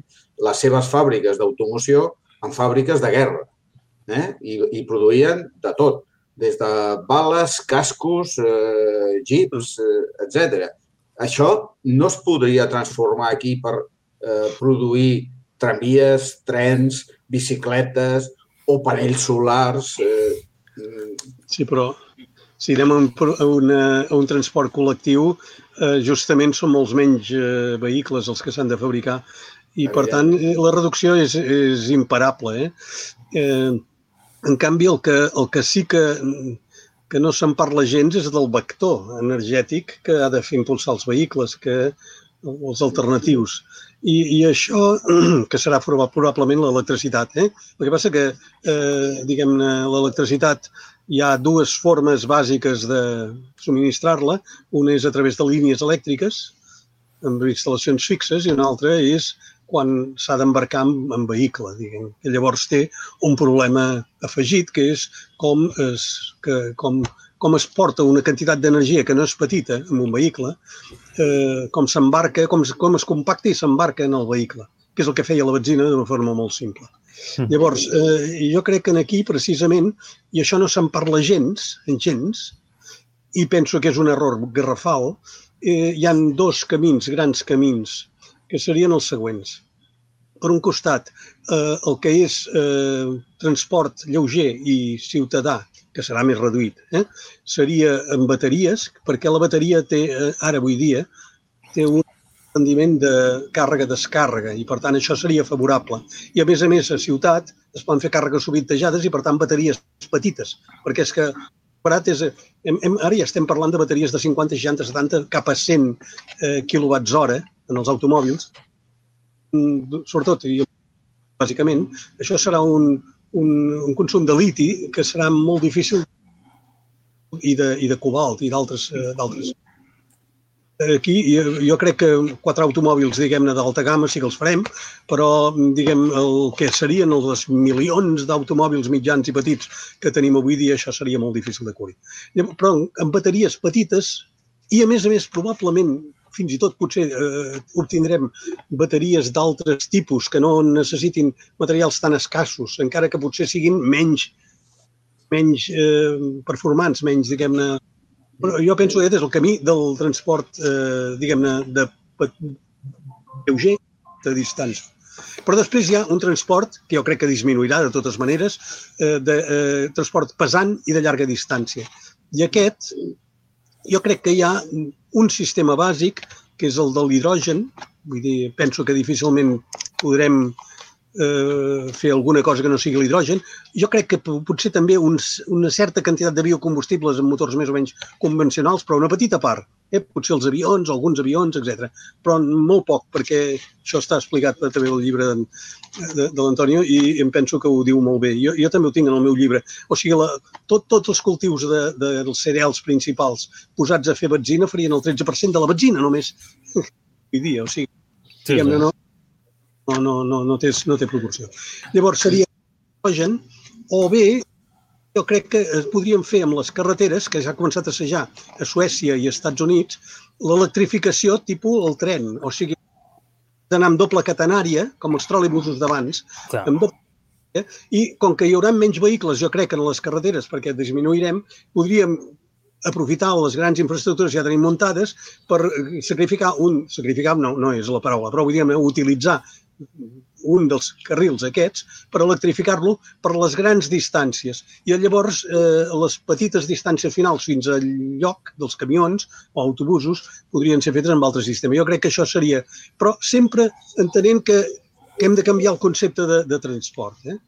les seves fàbriques d'automoció en fàbriques de guerra. Eh? I, I produïen de tot, des de bales, cascos, eh, jeeps, eh, etcètera. Això no es podria transformar aquí per eh, produir tramvies, trens, bicicletes o panells solars. Eh, Sí, però si anem a un, a una, a un transport col·lectiu, eh, justament són molts menys eh, vehicles els que s'han de fabricar i, per tant, la reducció és, és imparable. Eh? Eh, en canvi, el que, el que sí que, que no se'n parla gens és del vector energètic que ha de fer impulsar els vehicles, que, els alternatius. I, i això, que serà probablement l'electricitat. Eh? El que passa que, eh, diguem-ne, l'electricitat hi ha dues formes bàsiques de subministrar-la. Una és a través de línies elèctriques, amb instal·lacions fixes, i una altra és quan s'ha d'embarcar en, en vehicle, diguem. Que llavors té un problema afegit, que és com es, que, com, com es porta una quantitat d'energia que no és petita en un vehicle, eh, com s'embarca, com, com es compacta i s'embarca en el vehicle, que és el que feia la benzina d'una forma molt simple. Llavors, eh, jo crec que aquí, precisament, i això no se'n parla gens, gens, i penso que és un error garrafal, eh, hi ha dos camins, grans camins, que serien els següents. Per un costat, eh, el que és eh, transport lleuger i ciutadà, que serà més reduït, eh, seria en bateries, perquè la bateria té, eh, ara avui dia, té un rendiment de càrrega-descàrrega i, per tant, això seria favorable. I, a més a més, a ciutat es poden fer càrregues sovintejades i, per tant, bateries petites, perquè és que és, hem, hem, ara ja estem parlant de bateries de cinquanta, seixanta, setanta, cap a cent eh, quilowatts hora en els automòbils. Sobretot, i bàsicament, això serà un, un, un consum de liti que serà molt difícil i de, i de cobalt i d'altres d'altres. Aquí jo crec que quatre automòbils, diguem-ne, d'alta gamma sí que els farem, però, diguem, el que serien els milions d'automòbils mitjans i petits que tenim avui dia, això seria molt difícil de cobrir. Però amb bateries petites i, a més a més, probablement, fins i tot potser eh, obtindrem bateries d'altres tipus que no necessitin materials tan escassos, encara que potser siguin menys, menys eh, performants, menys, diguem-ne. Però jo penso que aquest és el camí del transport, eh, diguem-ne, de lleuger de distància. Però després hi ha un transport, que jo crec que disminuirà de totes maneres, eh, de eh, transport pesant i de llarga distància. I aquest, jo crec que hi ha un sistema bàsic, que és el de l'hidrogen. Vull dir, penso que difícilment podrem eh, fer alguna cosa que no sigui l'hidrogen. Jo crec que potser també uns, una certa quantitat de biocombustibles en motors més o menys convencionals, però una petita part. Eh? Potser els avions, alguns avions, etcètera. Però molt poc, perquè això està explicat també al llibre de, de, de l'Antonio i em penso que ho diu molt bé. Jo, jo també ho tinc en el meu llibre. O sigui, la, tot, tots els cultius de, de, dels cereals principals posats a fer benzina farien el tretze per cent de la benzina només. Vull dir, o sigui, sí, sí. no, no, no, no, no, té, no té proporció. Llavors seria hidrogen, o bé jo crec que podríem fer amb les carreteres, que ja ha començat a assajar a Suècia i als Estats Units, l'electrificació tipus el tren. O sigui, d'anar amb doble catenària, com els tròlibusos d'abans, amb doble catenària, i com que hi haurà menys vehicles, jo crec, en les carreteres, perquè disminuirem, podríem aprofitar les grans infraestructures que ja tenim muntades per sacrificar un, sacrificar no, no és la paraula, però vull dir, utilitzar un dels carrils aquests per electrificar-lo per les grans distàncies. I llavors eh, les petites distàncies finals fins al lloc dels camions o autobusos podrien ser fetes amb altre sistema. Jo crec que això seria... Però sempre entenent que, que hem de canviar el concepte de, de transport. Eh?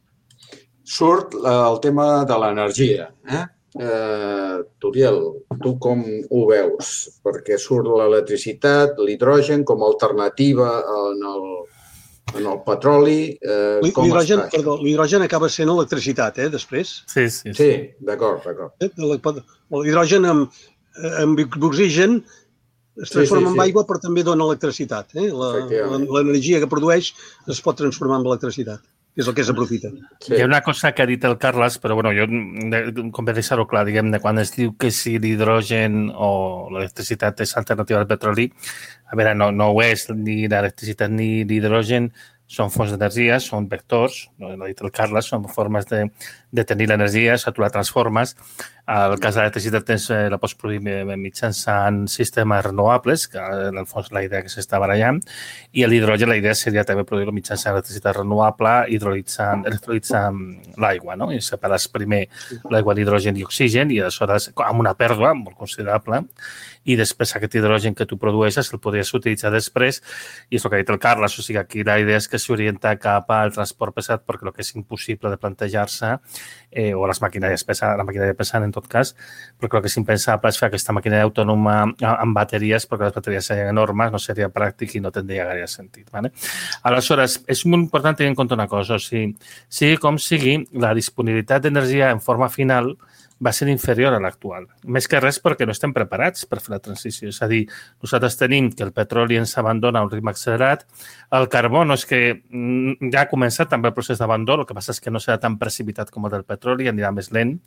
Surt el tema de l'energia. Eh? Eh, Turiel, tu com ho veus? Perquè surt l'electricitat, l'hidrogen com a alternativa en el, en el petroli. Eh, com l'hidrogen, està? perdó, l'hidrogen acaba sent electricitat, eh, després? Sí, sí. Sí, sí d'acord, d'acord. L'hidrogen amb, amb oxigen es transforma sí, sí, sí. en aigua, però també dona electricitat. Eh? L'energia que produeix es pot transformar en electricitat. És el que s'aprofita. Sí. Hi ha una cosa que ha dit el Carles, però bueno, jo, com per deixar-ho clar, diguem-ne, quan es diu que si l'hidrogen o l'electricitat és alternativa al petroli, a veure, no, no ho és, ni l'electricitat ni l'hidrogen són fonts d'energia, són vectors, no ha dit el Carles, són formes de, de tenir l'energia, o tu la transformes. El cas de l'electricitat tens, eh, la pots produir mitjançant sistemes renovables, que en el fons la idea que s'està barallant, i l'hidrogen la idea seria també produir-lo mitjançant electricitat renovable, hidrolitzant, electrolitzant l'aigua, no? I separes primer l'aigua d'hidrogen i oxigen i aleshores amb una pèrdua molt considerable i després aquest hidrogen que tu produeixes el podries utilitzar després i és el que ha dit el Carles, o sigui, aquí la idea és que s'orienta cap al transport pesat perquè el que és impossible de plantejar-se eh, o les maquinàries pesades, la maquinària pesant en tot cas, perquè el que és impensable és fer aquesta maquinària autònoma amb bateries perquè les bateries serien enormes, no seria pràctic i no tindria gaire sentit. ¿Vale? Aleshores, és molt important tenir en compte una cosa, o sigui, sigui com sigui, la disponibilitat d'energia en forma final va ser inferior a l'actual. Més que res perquè no estem preparats per fer la transició. És a dir, nosaltres tenim que el petroli ens abandona a un ritme accelerat. El carbó no és que ja ha començat també el procés d'abandó, el que passa és que no serà tan precipitat com el del petroli, anirà més lent.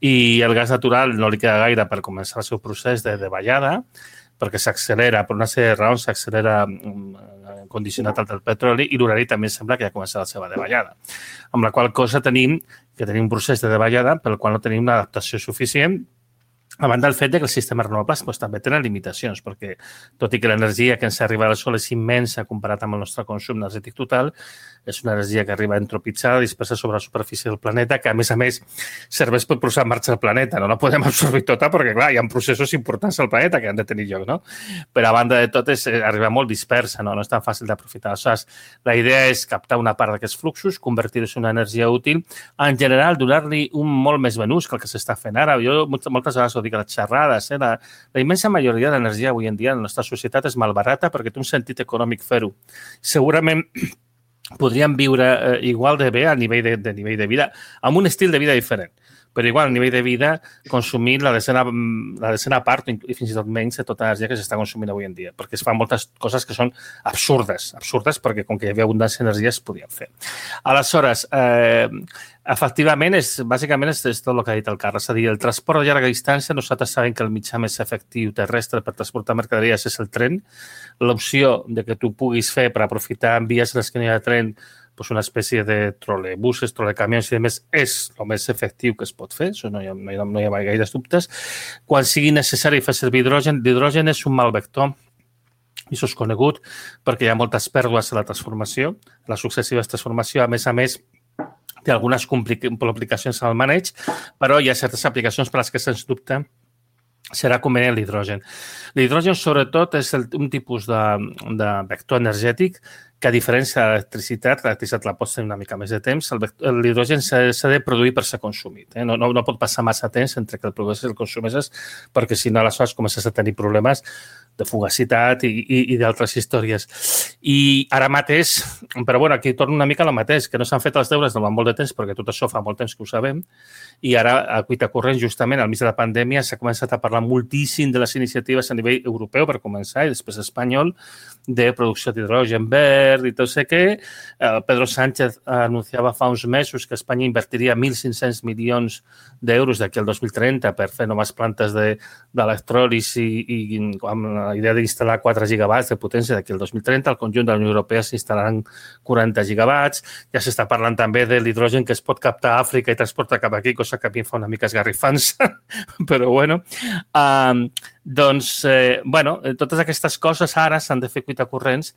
I el gas natural no li queda gaire per començar el seu procés de, de ballada, perquè s'accelera, per una sèrie de raons, s'accelera condicionat al del petroli i l'urani també sembla que ja ha començat la seva davallada. Amb la qual cosa tenim que tenim un procés de davallada pel qual no tenim una adaptació suficient, a banda del fet que els sistemes renovables doncs, també tenen limitacions, perquè tot i que l'energia que ens arriba al sol és immensa comparat amb el nostre consum energètic total, és una energia que arriba entropitzada, dispersa sobre la superfície del planeta, que a més a més serveix per posar en marxa el planeta. No la podem absorbir tota perquè, clar, hi ha processos importants al planeta que han de tenir lloc, no? Però a banda de tot és arribar molt dispersa, no? No és tan fàcil d'aprofitar. Aleshores, la idea és captar una part d'aquests fluxos, convertir-los en una energia útil, en general donar-li un molt més ben ús que el que s'està fent ara. Jo moltes vegades ho dic a les xerrades, eh? la, la immensa majoria de l'energia avui en dia en la nostra societat és malbarata perquè té un sentit econòmic fer-ho. Segurament podríem viure eh, igual de bé a nivell de, de nivell de vida, amb un estil de vida diferent, però igual a nivell de vida consumir la decena, la decena part i fins i tot menys de tota l'energia que s'està consumint avui en dia, perquè es fan moltes coses que són absurdes, absurdes perquè com que hi havia abundància d'energia es podien fer. Aleshores, eh, efectivament, és, bàsicament és, és tot el que ha dit el Carles, és a dir, el transport de llarga distància, nosaltres sabem que el mitjà més efectiu terrestre per transportar mercaderies és el tren. L'opció de que tu puguis fer per aprofitar en vies en les que no hi ha tren pues una espècie de trolebuses, trolecamions i demés és el més efectiu que es pot fer, això no hi ha, no hi ha, no hi ha gaires dubtes. Quan sigui necessari fer servir hidrogen, l'hidrogen és un mal vector, i això és conegut perquè hi ha moltes pèrdues a la transformació, a la successiva transformació, a més a més, té algunes complicacions al maneig, però hi ha certes aplicacions per les que, sens dubte, serà convenient l'hidrogen. L'hidrogen, sobretot, és el, un tipus de, de vector energètic que, a diferència de l'electricitat, l'electricitat la pots tenir una mica més de temps, l'hidrogen s'ha de produir per ser consumit. Eh? No, no, no pot passar massa temps entre que el produeixes i el consumeixes, perquè si no, aleshores comences a tenir problemes de fugacitat i, i, i d'altres històries. I ara mateix, però bueno, aquí torno una mica a la mateix, que no s'han fet els deures durant molt de temps, perquè tot això fa molt temps que ho sabem, i ara, a cuita corrent, justament, al mig de la pandèmia, s'ha començat a parlar moltíssim de les iniciatives a nivell europeu, per començar, i després espanyol, de producció d'hidrogen verd, verd i tot sé què. Eh, Pedro Sánchez anunciava fa uns mesos que Espanya invertiria mil cinc-cents milions d'euros d'aquí al dos mil trenta per fer noves plantes d'electròlisi i, i amb la idea d'instal·lar quatre gigawatts de potència d'aquí al dos mil trenta. Al conjunt de la Unió Europea s'instal·laran quaranta gigawatts. Ja s'està parlant també de l'hidrogen que es pot captar a Àfrica i transportar cap aquí, cosa que a mi em fa una mica esgarrifança, però bueno. Um, doncs, eh, bueno, totes aquestes coses ara s'han de fer cuita corrents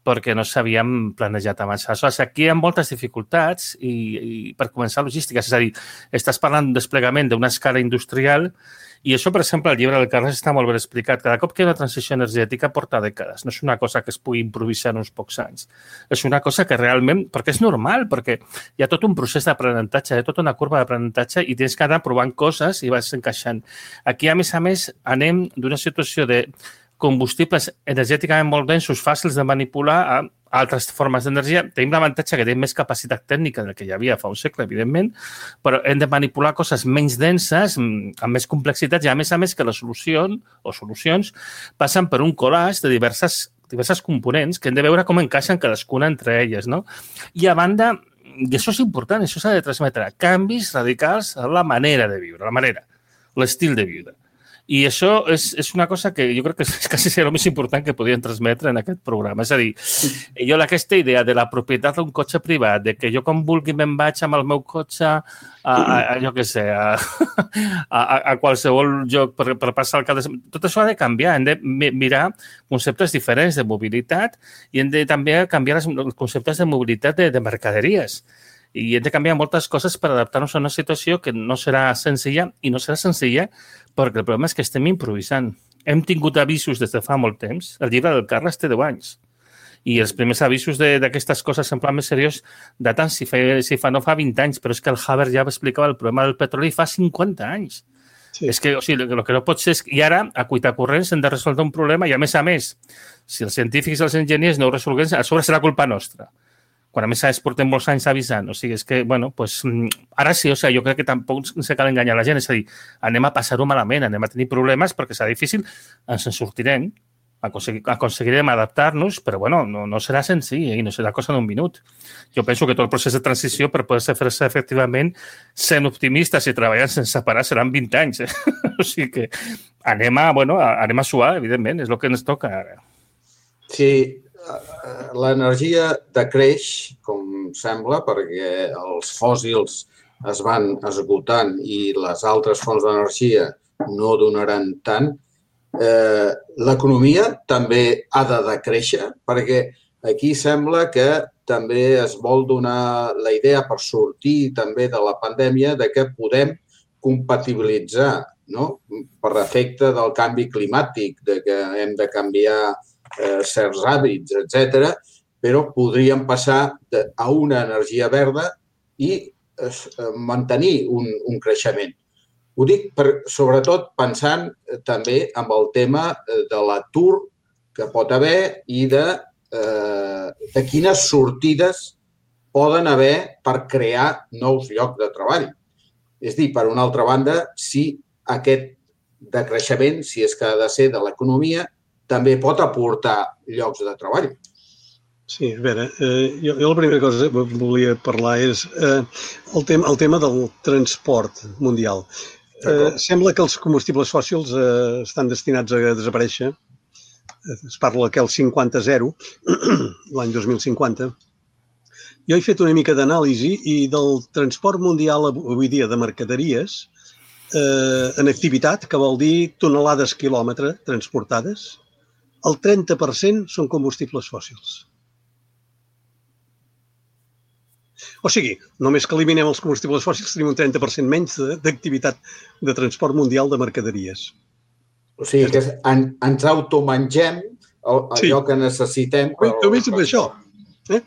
perquè no s'havien planejat abans. Aleshores, aquí hi ha moltes dificultats i, i per començar logístiques, és a dir, estàs parlant d'un desplegament d'una escala industrial i això, per exemple, al llibre del Carles està molt ben explicat. Cada cop que hi ha una transició energètica porta dècades. No és una cosa que es pugui improvisar en uns pocs anys. És una cosa que realment, perquè és normal, perquè hi ha tot un procés d'aprenentatge, hi ha tota una curva d'aprenentatge i tens que anar provant coses i vas encaixant. Aquí, a més a més, anem d'una situació de combustibles energèticament molt densos, fàcils de manipular a altres formes d'energia. Tenim l'avantatge que tenim més capacitat tècnica del que hi havia fa un segle, evidentment, però hem de manipular coses menys denses, amb més complexitats, i a més a més que la solució o solucions passen per un collage de diverses, diverses components que hem de veure com encaixen cadascuna entre elles, no? I a banda, i això és important, això s'ha de transmetre, canvis radicals a la manera de viure, la manera, l'estil de viure. I això és, és una cosa que jo crec que és quasi el més important que podien transmetre en aquest programa. És a dir, jo aquesta idea de la propietat d'un cotxe privat, de que jo com vulgui me'n vaig amb el meu cotxe a, a, a jo què sé, a, a, a qualsevol lloc per, per passar el cap de... Tot això ha de canviar. Hem de mirar conceptes diferents de mobilitat i hem de també canviar els conceptes de mobilitat de, de mercaderies. I hem de canviar moltes coses per adaptar-nos a una situació que no serà senzilla i no serà senzilla perquè el problema és que estem improvisant. Hem tingut avisos des de fa molt temps. El llibre del Carles té deu anys. I els primers avisos d'aquestes coses en plan més seriós daten si fa, si fa no fa vint anys, però és que el Haber ja explicava el problema del petroli fa cinquanta anys. Sí. És que, o sigui, el que no pot ser és... I ara, a cuita corrents, hem de resoldre un problema i, a més a més, si els científics i els enginyers no ho resolguem, a sobre serà culpa nostra. Quan a més a més portem molts anys avisant. O sigui, és que, bueno, pues, ara sí, o sigui, jo crec que tampoc se cal enganyar la gent. És a dir, anem a passar-ho malament, anem a tenir problemes perquè serà difícil, ens en sortirem, aconseguir, aconseguirem adaptar-nos, però, bueno, no, no serà senzill i no serà cosa d'un minut. Jo penso que tot el procés de transició per poder fer-se efectivament sent optimistes i treballant sense parar seran vint anys. Eh? O sigui que anem a, bueno, anem a suar, evidentment, és el que ens toca ara. Sí, l'energia decreix, com sembla, perquè els fòssils es van esgotant i les altres fonts d'energia no donaran tant. Eh, L'economia també ha de decréixer, perquè aquí sembla que també es vol donar la idea per sortir també de la pandèmia de que podem compatibilitzar, no? Per efecte del canvi climàtic, de que hem de canviar Eh, certs hàbits, etcètera, però podríem passar de, a una energia verda i eh, mantenir un, un creixement. Ho dic per, sobretot pensant eh, també en el tema eh, de l'atur que pot haver i de, eh, de quines sortides poden haver per crear nous llocs de treball. És dir, per una altra banda, si aquest decreixement, si és que ha de ser de l'economia, també pot aportar llocs de treball. Sí, a veure, eh, jo, jo la primera cosa que volia parlar és eh, el, tema, el tema del transport mundial. Eh, sembla que els combustibles fòssils eh, estan destinats a desaparèixer. Es parla que el cinquanta zero, l'any dos mil cinquanta. Jo he fet una mica d'anàlisi i del transport mundial avui dia de mercaderies eh, en activitat, que vol dir tonelades quilòmetre transportades, el trenta per cent són combustibles fòssils. O sigui, només que eliminem els combustibles fòssils tenim un trenta per cent menys d'activitat de transport mundial de mercaderies. O sigui, que en, ens automengem allò sí. que necessitem. Per... Només amb això. Eh?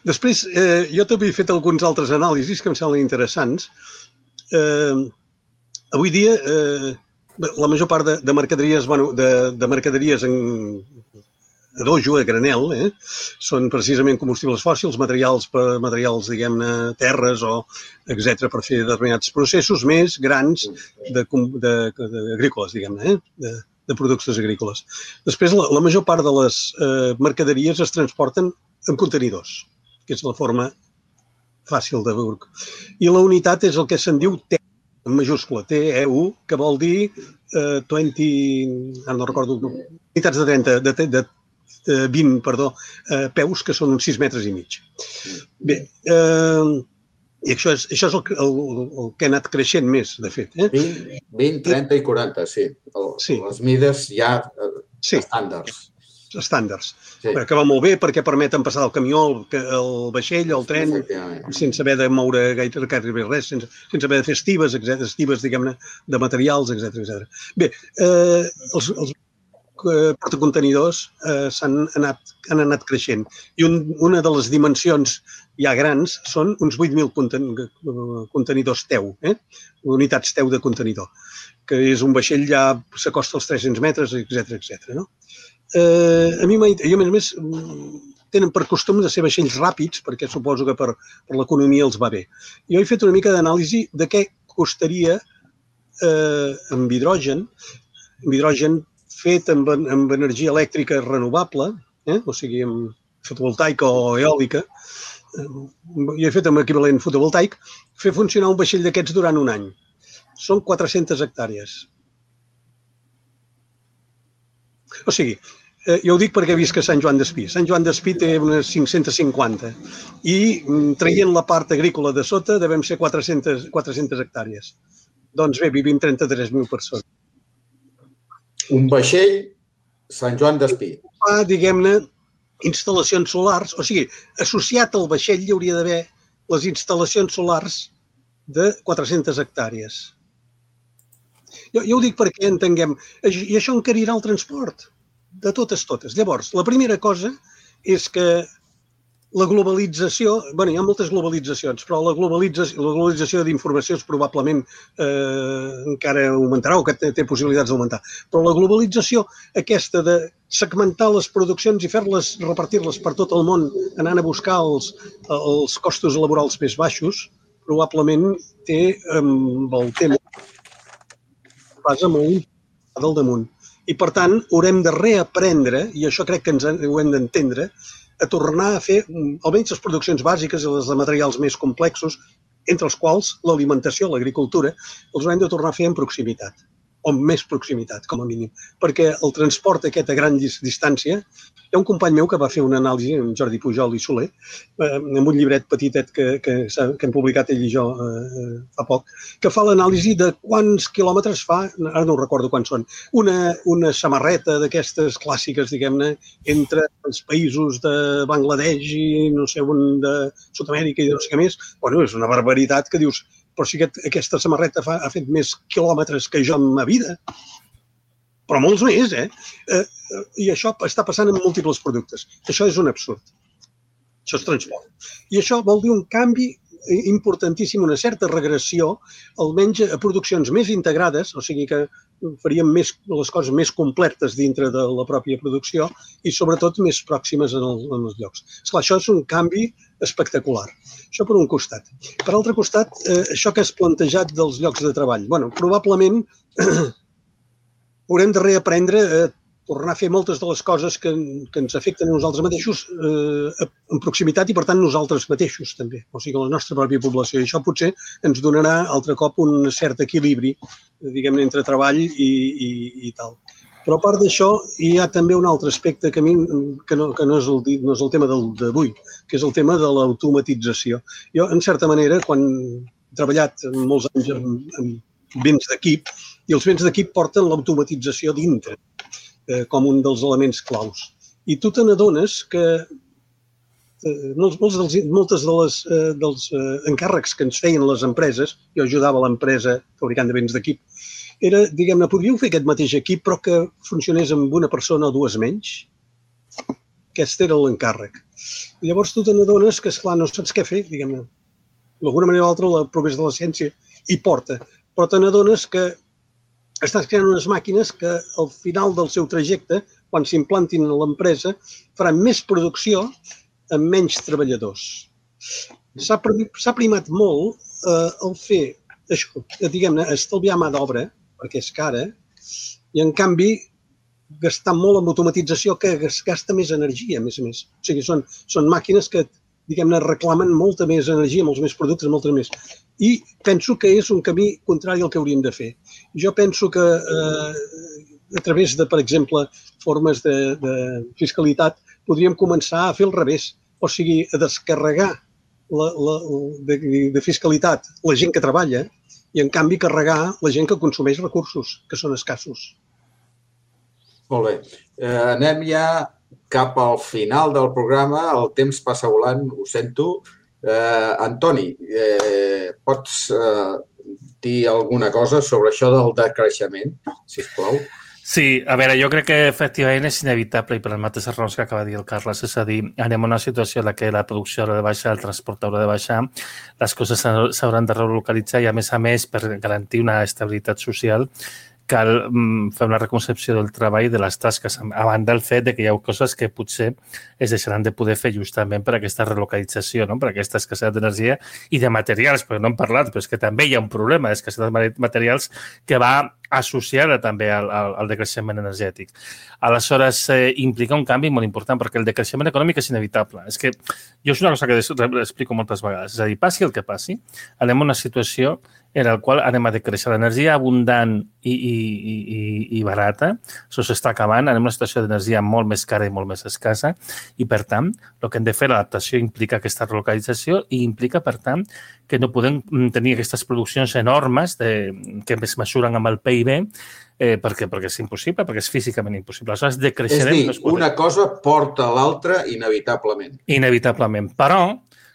Després, eh, jo també he fet alguns altres anàlisis que em semblen interessants. Eh, avui dia... Eh, La major part de, de mercaderies, bueno, de, de mercaderies en a dojo, a granel, eh, són precisament combustibles fòssils, materials, per, materials diguem-ne, terres o etcètera per fer determinats processos més grans de, de, de agrícoles, diguem-ne, eh, de, de productes agrícoles. Després, la, la major part de les eh, mercaderies es transporten en contenidors, que és la forma fàcil de veure. I la unitat és el que se'n diu T, en majúscula, T E U, que vol dir eh, vint, ara no recordo, unitats de trenta, de, de, de vint, perdó, eh, peus, que són uns sis metres i mig. Bé, eh, i això és, això és el, el, el que ha anat creixent més, de fet. Eh? vint, vint, trenta i quaranta, sí. El, sí. Les mides ja eh, sí. estàndards. Estàndards. Sí. Que va molt bé perquè permeten passar el camió, el, el vaixell, el tren, sense haver de moure gaire, gaire res, sense, sense haver de fer estives, etcètera, estives, diguem-ne, de materials, etcètera, etcètera. Bé, eh, els, els portacontenidors eh, s'han anat, han anat creixent i un, una de les dimensions ja grans són uns vuit mil conten, contenidors T E U, eh? Unitats T E U de contenidor, que és un vaixell ja s'acosta als tres-cents metres, etcètera, etcètera, no? Eh, a mi, i a més a més, tenen per costum de ser vaixells ràpids, perquè suposo que per, per l'economia els va bé. Jo he fet una mica d'anàlisi de què costaria eh, amb hidrogen, amb hidrogen fet amb, amb energia elèctrica renovable, eh? O sigui, amb fotovoltaica o eòlica, eh, jo he fet amb equivalent fotovoltaic, fer funcionar un vaixell d'aquests durant un any. Són quatre-centes hectàrees. O sigui, eh, jo ho dic perquè visc a Sant Joan d'Espí. Sant Joan d'Espí té unes cinc-centes cinquanta i traient la part agrícola de sota devem ser quatre-centes, quatre-centes hectàrees. Doncs bé, vivim trenta-tres mil persones. Un vaixell, Sant Joan d'Espí. Fa, diguem-ne, instal·lacions solars, o sigui, associat al vaixell hi hauria d'haver les instal·lacions solars de quatre-centes hectàrees. Jo, jo ho dic perquè entenguem, i això encarirà el transport, de totes, totes. Llavors, la primera cosa és que la globalització, bé, hi ha moltes globalitzacions, però la globalització, la globalització d'informació és probablement eh, encara augmentarà o que té, té possibilitats d'augmentar. Però la globalització aquesta de segmentar les produccions i fer-les, repartir-les per tot el món, anant a buscar els, els costos laborals més baixos, probablement té amb el tema basa molt del damunt. I, per tant, haurem de reaprendre, i això crec que ens ho hem d'entendre, a tornar a fer almenys les produccions bàsiques i les de materials més complexos, entre els quals l'alimentació, l'agricultura, els haurem de tornar a fer en proximitat, o amb més proximitat, com a mínim. Perquè el transport aquest a gran distància, hi ha un company meu que va fer una anàlisi, en Jordi Pujol i Soler, amb un llibret petitet que, que, que hem publicat ell i jo eh, fa poc, que fa l'anàlisi de quants quilòmetres fa, ara no recordo quants són, una, una samarreta d'aquestes clàssiques, diguem-ne, entre els països de Bangladesh i no sé on, de Sud-amèrica i no sé què més. Bueno, és una barbaritat que dius, però si aquest, aquesta samarreta fa, ha fet més quilòmetres que jo en ma vida. Però molts més, eh? eh? I això està passant en múltiples productes. Això és un absurd. Això és transport. I això vol dir un canvi importantíssim, una certa regressió, almenys a produccions més integrades, o sigui que faríem més, les coses més completes dintre de la pròpia producció i sobretot més pròximes en, el, en els llocs. Esclar, això és un canvi espectacular. Això per un costat. Per altre costat, eh, això que has plantejat dels llocs de treball. Bueno, probablement haurem de reaprendre a tornar a fer moltes de les coses que, que ens afecten a nosaltres mateixos eh, en proximitat i, per tant, nosaltres mateixos també, o sigui, la nostra pròpia població. I això potser ens donarà altre cop un cert equilibri, diguem-ne, entre treball i, i, i tal. Però a part d'això, hi ha també un altre aspecte que a mi que no, que no, és, el, no és el tema d'avui, que és el tema de l'automatització. Jo, en certa manera, quan he treballat molts anys en, en béns d'equip, i els béns d'equip porten l'automatització dintre, eh, com un dels elements claus. I tu te n'adones que eh, molts, molts dels, moltes de les, eh, dels eh, encàrrecs que ens feien les empreses, jo ajudava l'empresa fabricant de béns d'equip, era, diguem-ne, podríeu fer aquest mateix equip però que funcionés amb una persona o dues menys? Aquest era l'encàrrec. I llavors tu te n'adones que, esclar, no saps què fer, diguem-ne. D'alguna manera o altra, el progrés de la ciència hi porta, però te n'adones que estàs creant unes màquines que al final del seu trajecte, quan s'implantin a l'empresa, faran més producció amb menys treballadors. S'ha primat molt eh, el fer això, diguem-ne, estalviar mà d'obra, perquè és cara, i en canvi gastant molt en automatització que gasta més energia, a més a més. O sigui, són, són màquines que, diguem-ne, reclamen molta més energia, molts més productes, molta més. I penso que és un camí contrari al que hauríem de fer. Jo penso que eh, a través de, per exemple, formes de, de fiscalitat, podríem començar a fer el revés. O sigui, a descarregar la, la, de, de fiscalitat la gent que treballa i, en canvi, carregar la gent que consumeix recursos, que són escassos. Molt bé. Eh, anem ja cap al final del programa. El temps passa volant, ho sento. Eh, Antoni, eh, pots eh, dir alguna cosa sobre això del decreixement, sisplau? Sí, a veure, jo crec que efectivament és inevitable i per les mateixes raons que acaba de dir el Carles, és a dir, anem a una situació en la que la producció haurà de baixar, el transport haurà de baixar, les coses s'hauran de relocalitzar i, a més a més, per garantir una estabilitat social, cal fer una reconcepció del treball de les tasques, a banda del fet que hi ha coses que potser es deixaran de poder fer justament per aquesta relocalització, no? Per aquesta escassetat d'energia i de materials, perquè no hem parlat, però és que també hi ha un problema d'escassetat de materials que va associada també al, al, al decreixement energètic. Aleshores, eh, implica un canvi molt important, perquè el decreixement econòmic és inevitable. És que jo és una cosa que explico moltes vegades. És a dir, passi el que passi, anem a una situació en la qual anem a decreixer l'energia abundant i, i, i, i barata. Això s'està acabant. Anem a una situació d'energia molt més cara i molt més escassa i, per tant, el que hem de fer, l'adaptació implica aquesta relocalització i implica, per tant, que no podem tenir aquestes produccions enormes de, que es mesuren amb el P I B eh, perquè, perquè és impossible, perquè és físicament impossible. Aleshores, decreixerem... És dir, una cosa porta a l'altra inevitablement. Inevitablement. Però,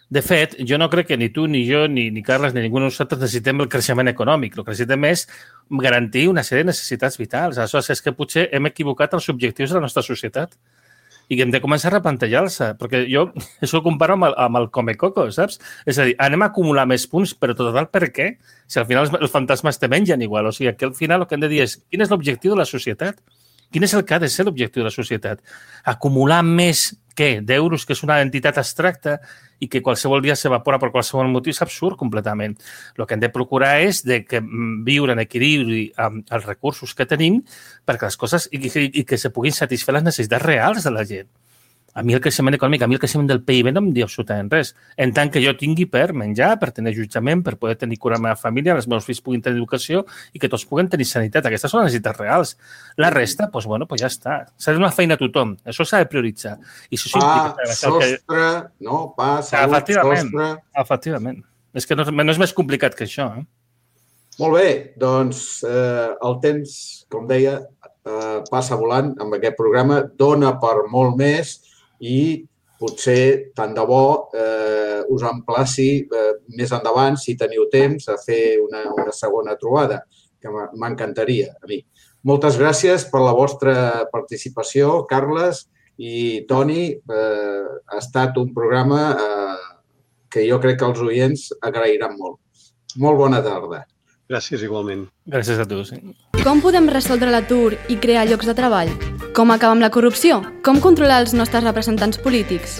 de fet, jo no crec que ni tu, ni jo, ni, ni Carles, ni ningú de nosaltres necessitem el creixement econòmic. El que necessitem és garantir una sèrie de necessitats vitals. Aleshores, és que potser hem equivocat els objectius de la nostra societat i que hem de començar a replantejar-se, perquè jo això ho comparo amb el, amb el Comecoco, saps? És a dir, anem a acumular més punts, però total, per què? Si al final els fantasmes te mengen igual. O sigui, que al final el que hem de dir és quin és l'objectiu de la societat? Quin és el que ha de ser l'objectiu de la societat? Acumular més, què? D'euros, que és una entitat abstracta i que qualsevol dia s'evapora per qualsevol motiu, és absurd completament. El que hem de procurar és de que viure en equilibri amb els recursos que tenim perquè les coses i, i, i que se puguin satisfer les necessitats reals de la gent. A mi el creixement econòmic, a mi el creixement del P I B no em diu absolutament res. En tant que jo tingui per menjar, per tenir jutjament, per poder tenir cura a la meva família, els meus fills puguin tenir educació i que tots puguen tenir sanitat. Aquestes són les necessitats reals. La resta, doncs, bueno, doncs ja està. S'ha de donar feina a tothom. Això s'ha de prioritzar. I això pa, sostre, que... no, pa, salut, efectivament, sostre... Efectivament. És que no, no és més complicat que això. Eh? Molt bé, doncs eh, el temps, com deia, eh, passa volant amb aquest programa, dona per molt més i potser, tant de bo, eh, us emplaci eh, més endavant, si teniu temps, a fer una, una segona trobada, que m'encantaria a mi. Moltes gràcies per la vostra participació, Carles i Toni. Eh, ha estat un programa eh, que jo crec que els oients agrairan molt. Molt bona tarda. Gràcies, igualment. Gràcies a tu, sí. Com podem resoldre l'atur i crear llocs de treball? Com acabar amb la corrupció? Com controlar els nostres representants polítics?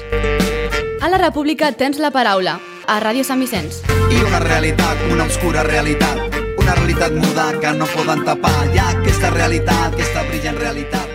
A la República tens la paraula, a Ràdio Sant Vicenç. I una realitat, una obscura realitat, una realitat muda que no poden tapar. Hi ha aquesta realitat, aquesta brillant realitat.